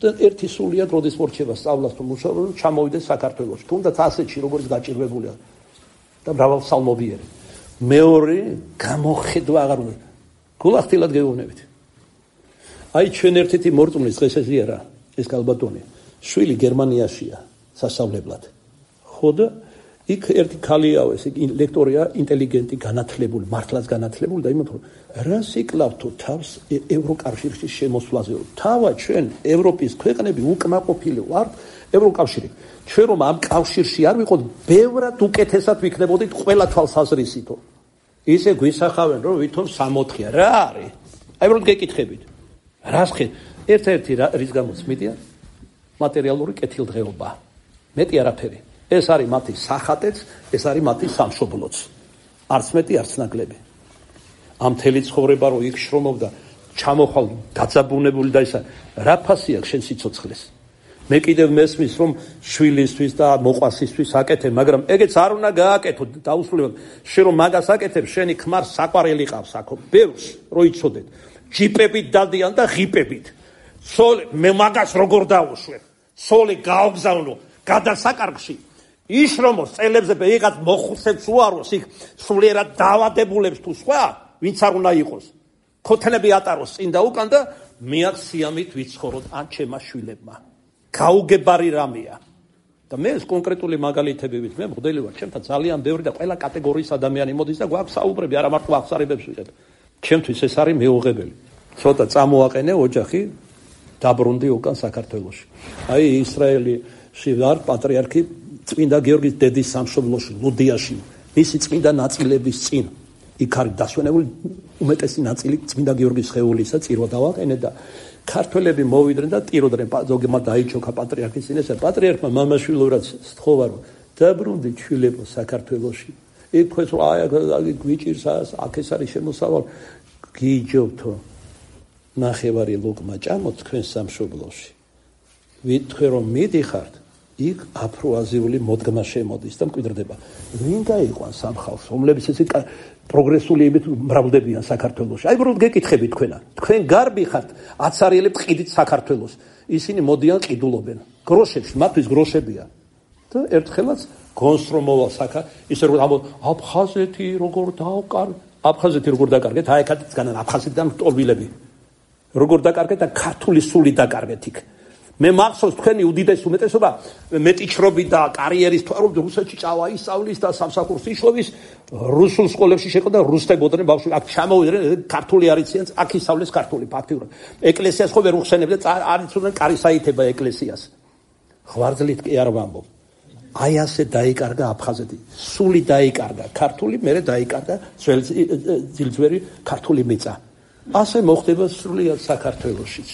და ერთი სულიად როდის მორჩება სწავლას თუ მუშაობას, ჩამოვიდეს საქართველოში. თუნდაც ასეთში როგორც გაჭირვებულია და მრავალსალმობიერი. მეორე გამოხედვა აღარ უნდა. გულახდილად გეუბნებით. აი ჩვენ ერთ-ერთი მორწმუნის დღეს ესია რა, ეს კალბატონი. შვილი გერმანიაშია სასწავლებლად. ხო და იქ ერთი ქალიაო, ეს ლექტორია, ინტელიგენტი, განათლებული, მართლაც განათლებული და იმათო რა სიკლავთო თავს ევროკავშირში შემოსვლაზე. თავად ჩვენ ევროპის ქვეყნები უკმაყოფილი ვართ ევროკავშირი. ჩვენ რომ ამ კავშირში არ ვიყოთ, ბევრად უკეთესად ვიქნებოდით ყველა თვალსაზრისითო. ისე გვისახავენ რომ ვითომ სამოთხია. რა არის? აი რომ გეკითხებით. რას ხე? ერთ-ერთი რის გამოც მიდიან მატერიალური კეთილდღეობა. მეტი არაფერი. ეს არის მათი სახატეც, ეს არის მათი სამშობლოც. არც მეტი, არც ნაკლები. ამ მთელი ცხოვრება რო იქ შრომობდა, ჩამოხვალ დაძაბუნებული და ისა რა ფასი აქვს შენ სიცოცხლეს? მე კიდევ მესმის რომ შვილისთვის და მოყვასისთვის აკეთებ, მაგრამ ეგეც არ უნდა გააკეთო დაუსრულებლად. შენ რომ მაგას აკეთებ, შენი ქმარ საყვარელი ყავს აქ, ბევრს რო იცოდეთ. ჯიპებით დადიან და ღიპებით. სოლე მე მაგას როგორ დავუშვებ? სოლე გაოგზავნო. გადასაკარგში ის რომ წელებზე ვიღაც მოხუცებს უაროს იქ სულიერად დაავადებულებს თუ სხვა ვინც არ უნდა იყოს ქოთნები ატაროს წინ და უკან და მეაც სიამით ვიცხოვროთ ან ჩემმა შვილებმა გაუგებარი რამეა და მე ეს კონკრეტული მაგალითები ვით მე მოდელი ვარ ჩემთან ძალიან ბევრი და ყველა კატეგორიის ადამიანი მოდის და გვაქვს საუბრები არა მარტო აღსარებებს ვიღებ ჩემთვის ეს არის მეუღებელი ცოტა წამოაყენე ოჯახი დაბრუნდი უკან საქართველოში აი ისრაელში ვარ პატრიარქი წმინდა გიორგის დედის სამშობლოში ლუდიაში მისი წმინდა ნაწილების წინ იქ არის დასვენებული უმეტესი ნაწილი წმინდა გიორგის ხეულისა წირვა დავაყენე და ქართველები მოვიდნენ და ტიროდნენ ზოგმა დაიჩოქა პატრიარქის წინ ესა პატრიარქმა მამაშვილურად სთხოვა რომ დაბრუნდი შვილებო საქართველოში იქ ხეს რა აი გვიჭირს აქ ეს არის შემოსავალ გიჯობთო ნახევარი ლუკმა ჭამოთ თქვენ სამშობლოში ვითქვი რომ მიდიხართ იქ აფროაზიული მოდგმა შემოდის და მკვიდრდება ვინ გაიყვანს ამ ხალხს რომლებიც ესე პროგრესულიებით მრავლდებიან საქართველოში აი უბრალოდ გეკითხები თქვენა თქვენ გარბი ხართ აცარიელებს ყიდით საქართველოს ისინი მოდიან ყიდულობენ გროშებში მათთვის გროშებია და ერთხელაც გონს რომ მოვა საქა ისე რომ აფხაზეთი როგორ დაუკარ აფხაზეთი როგორ დაკარგეთ აი ქათიც განან აფხაზეთიდან ტოლვილები როგორ დაკარგეთ და ქართული სული დაკარგეთ იქ მე მახსოვს თქვენი უდიდეს უმეტესობა მეტიჩრობი და კარიერის თუ რომ რუსეთში წავა ისწავლის და სამსახურს იშოვის რუსულ სკოლებში შეყო და რუსთებოდნენ ბავშვი აქ ჩამოვიდნენ ქართული არიციან აქ ისწავლეს ქართული ფაქტიურად ეკლესიას ხო ვერ უხსენებდა არიცოდნენ კარისაითება ეკლესიას ღვარძლით კი არ ვამბობ აი ასე დაიკარგა აფხაზეთი სული დაიკარგა ქართული მერე დაიკარგა ძილძვერი ქართული მიწა ასე მოხდება სრულიად საქართველოშიც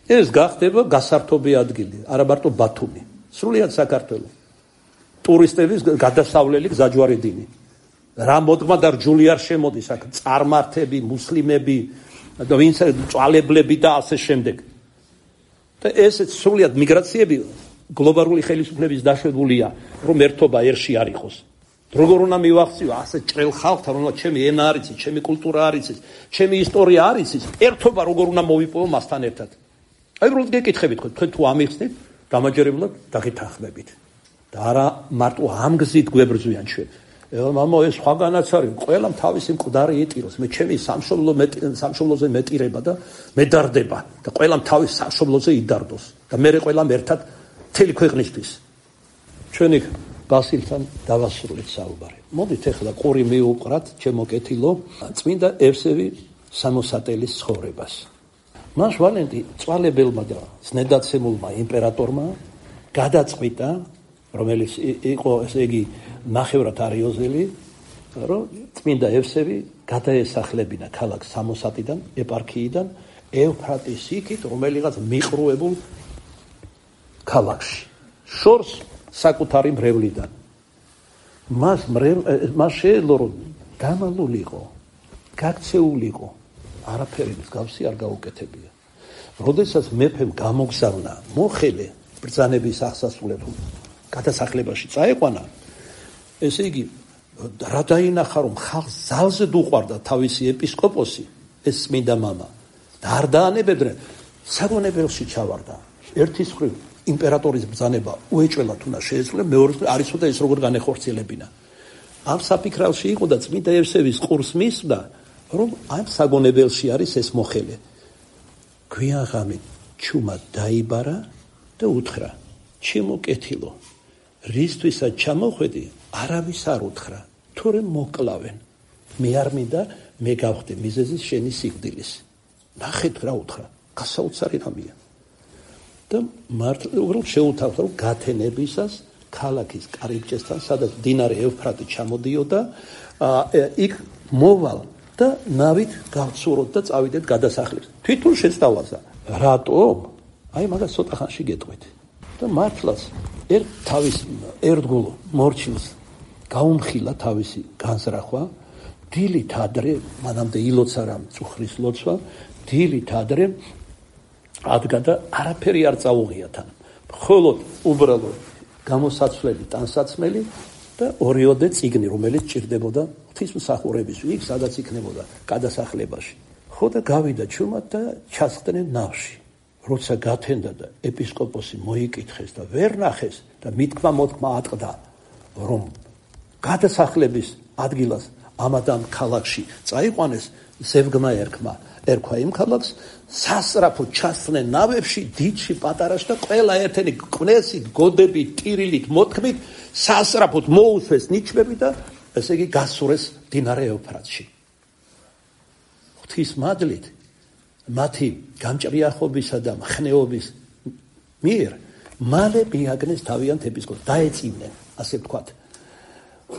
ეს გახდება გასართობი ადგილი, არა მარტო ბათუმი, სრულიად საქართველო. ტურისტების გადასავლელი გზაჯვარი დინი. რა მოდგმა და რჯული არ შემოდის აქ, წარმართები, მუსლიმები, და ვინც წვალებლები და ასე შემდეგ. და ესეც სრულიად მიგრაციები გლობალური ხელისუფლების დაშვებულია, რომ ერთობა ერში არ იყოს. როგორ უნდა მივახციო ასე ჭრელ ხალხთან, რომ ჩემი ენა არ იცის, ჩემი კულტურა არ იცის, ჩემი ისტორია არ იცის, ერთობა როგორ უნდა მოვიპოვო მასთან ერთად. აი უბრალოდ გეკითხებით თქვენ თუ ამიხსნით დამაჯერებლად დაგითანხმებით და არა მარტო ამ გზით გვებრძვიან ჩვენ მამო ეს სხვაგანაც არის ყველამ თავისი მკვდარი ეტიროს მე ჩემი სამშობლო სამშობლოზე მეტირება და მედარდება და ყველამ თავის სამშობლოზე იდარდოს და მე ყველამ ერთად მთელი ქვეყნისთვის ჩვენი ბასილთან დავასრულეთ საუბარი მოდით ახლა ყური მიუყრათ ჩემო კეთილო წმინდა ევსევი სამოსატელის ცხოვრებას მას ვალენტი წვალებელმა და ზნედაცემულმა იმპერატორმა გადაწყვიტა, რომელიც იყო ესე იგი ნახევრად არიოზელი, რომ წმინდა ევსევი გადაესახლებინა ქალაქ სამოსატიდან, ეპარქიიდან ევფრატის იქით, რომელიღაც მიყრუებულ ქალაქში. შორს საკუთარი მრევლიდან. მას მას შეეძლო რომ დამალულიყო, გაქცეულიყო. არაფერი მსგავსი არ გაუკეთებია. როდესაც მეფემ გამოგზავნა მოხელე ბრძანების აღსასრულებლად გადასახლებაში წაეყვანა, ესე იგი რა დაინახა რომ ხალხს ზალზე დუყვარდა თავისი ეპისკოპოსი, ეს წმინდა მამა და არ დაანებებდნენ, საგონებელში ჩავარდა. ერთის მხრივ იმპერატორის ბრძანება უეჭველად უნდა შეეძლო, მეორე არ იცოდა ეს როგორ განეხორციელებინა. ამ საფიქრალში იყო და წმინდა ევსევის ყურს მისვდა რომ ამ საგონებელში არის ეს მოხელე. გვიან ღამით ჩუმა დაიბარა და უთხრა: ჩემო კეთილო, რისთვისაც ჩამოხვედი, არავის არ უთხრა, თორემ მოკლავენ. მე არ მინდა მე გავხდე მიზეზის შენი სიკვდილის. ნახეთ რა უთხრა, გასაოცარი რამეა. და მართლა უბრალოდ შეუთავდა რომ გათენებისას ქალაქის კარიბჭესთან, სადაც მდინარე ევფრატი ჩამოდიოდა, იქ მოვალ და ნავით გავცუროთ და წავიდეთ გადასახლებას. თვითონ შეცდავაზა. რატომ? აი მაგას ცოტა ხანში გეტყვით. და მართლაც ერთ თავის ერთგულ მორჩილს გაუმხილა თავისი განზრახვა, დილით ადრე, მანამდე ილოცა რა მწუხრის ლოცვა, დილით ადრე ადგა და არაფერი არ წაუღია თან. მხოლოდ უბრალოდ გამოსაცვლელი ტანსაცმელი და ორიოდე წიგნი, რომელიც ჭირდებოდა ღვთისმსახურების იქ, სადაც იქნებოდა გადასახლებაში. ხო და გავიდა ჩუმად და ჩასხდნენ ნავში. როცა გათენდა და ეპისკოპოსი მოიკითხეს და ვერ ნახეს და მithქმა მოთქმა ატყდა, რომ გადასახლების ადგილას ამადამ ქალაქში წაიყვანეს, ზევგმა ერქმა ერქვა იმ ქალაქს, სასწრაფოდ ჩასწნენ ნავებში, დიდში, პატარაში და ყველა ერთენი კვნესით, გოდებით, ტირილით, მოთქმით, სასწრაფოდ მოუსვეს ნიჩბები და ესე იგი გასურეს მდინარე ევფრატში. ღვთის მადლით მათი გამჭრიახობისა და მხნეობის მიერ მალე მიაგნეს თავიანთ ეპისკოპოსს, დაეწივნენ, ასე ვთქვათ.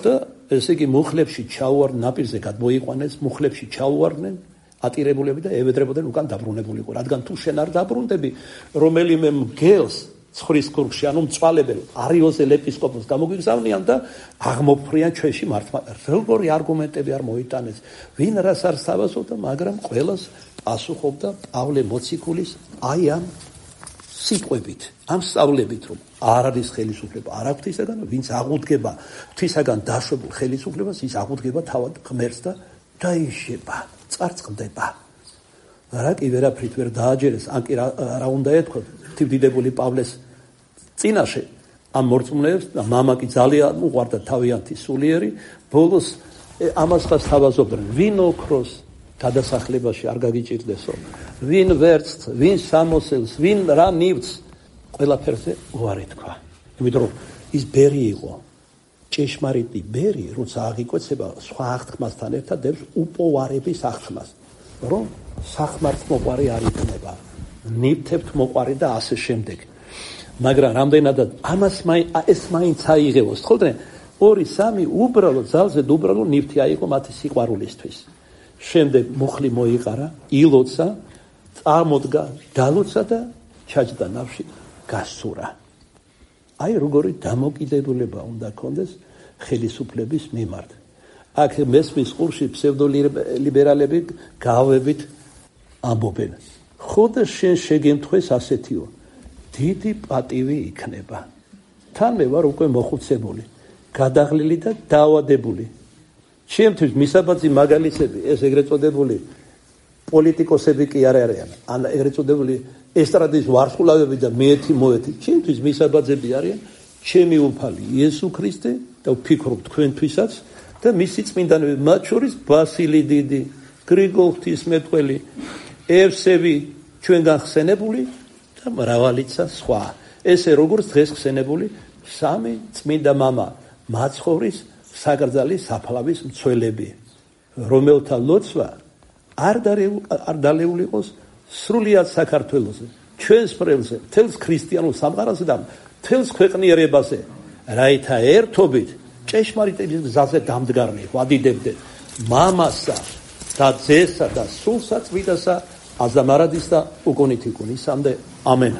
და ესე იგი მუხლებში ჩაუვარდნენ, ნაპირზე გადმოიყვანეს, მუხლებში ჩაუვარდნენ, ატირებულები და ევედრებოდნენ უკან დაბრუნებულიყო. რადგან თუ შენ არ დაბრუნდები, რომელიმე მგელს ცხრის ქურქში, ანუ მწვალებელ არიოზელ ეპისკოპოსს გამოგვიგზავნიან და აღმოფხვრიან ჩვენში მართმა. როგორი არგუმენტები არ მოიტანეს, ვინ რას არ სთავაზობდა, მაგრამ ყველას პასუხობდა პავლე მოციქულის აი ამ სიტყვებით, ამ სწავლებით, რომ არ არის ხელისუფლება არა ღვთისაგან, ვინც აღუდგება ღვთისაგან დაშვებულ ხელისუფლებას, ის აღუდგება თავად ღმერთს და დაიშება, წარწყდება. რა კი ვერაფრით ვერ დააჯერეს, ან კი რა უნდა ეთქვა თვდიდებული პავლეს წინაშე ამ მორწმუნეებს და მამა კი ძალიან უყვარდა თავიანთი სულიერი, ბოლოს ამას ხას თავაზობდნენ, ვინ ოქროს გადასახლებაში არ გაგიჭირდესო, ვინ ვერცხს, ვინ სამოსელს, ვინ რა ნივთს, ყველაფერზე უარი თქვა. იმიტომ რომ ის ბერი იყო, ჭეშმარიტი ბერი, როცა აღიკვეცება სხვა აღთქმასთან ერთად დებს უპოვარების აღთქმას, რომ სახმართ მოყვარი არ იქნება, ნივთებთ მოყვარი და ასე შემდეგ. მაგრამ რამდენადაც ამას ეს მაინც აიღებოს, თქოლდენ ორი სამი უბრალოდ ძალზე უბრალოდ ნივთი აიღო მათი სიყვარულისთვის. შემდეგ მუხლი მოიყარა, ილოცა, წარმოდგა, დალოცა და ჩაჯდა ნავში, გასურა. აი როგორი დამოკიდებულება უნდა ქონდეს ხელისუფლების მიმართ. აქ მესმის ყურში ფსევდოლიბერალები გავებით ამბობენ. ხოდა შენ შეგემთხვეს ასეთიო, დიდი პატივი იქნება. თან მე ვარ უკვე მოხუცებული, გადაღლილი და დაავადებული. ჩემთვის მისაბაძი მაგალითები, ეს ეგრეთ წოდებული პოლიტიკოსები კი არ არიან, ან ეგრეთ წოდებული ესტრადის ვარსკვლავები და მეეთი მოეთი. ჩემთვის მისაბაძები არიან ჩემი უფალი იესო ქრისტე და ვფიქრობ თქვენთვისაც და მისი წმინდანები, მათ შორის ბასილი დიდი, გრიგოლ ღვთისმეტყველი, ევსევი ჩვენგან ხსენებული და მრავალიცა სხვა. ესე როგორც დღეს ხსენებული სამი წმინდა მამა მაცხოვრის საგრძალის საფლავის მცველები, რომელთა ლოცვა არ დალეული იყოს სრულიად საქართველოზე, ჩვენს ფრელზე, მთელს ქრისტიანულ სამყაროზე და მთელს ქვეყნიერებაზე, რაითა ერთობით ჭეშმარიტების გზაზე დამდგარნი ვადიდებდეთ მამასა და ძესა და სულსა წმინდასა აზამარადის და უკუნით იკუნისამდე. ამენ.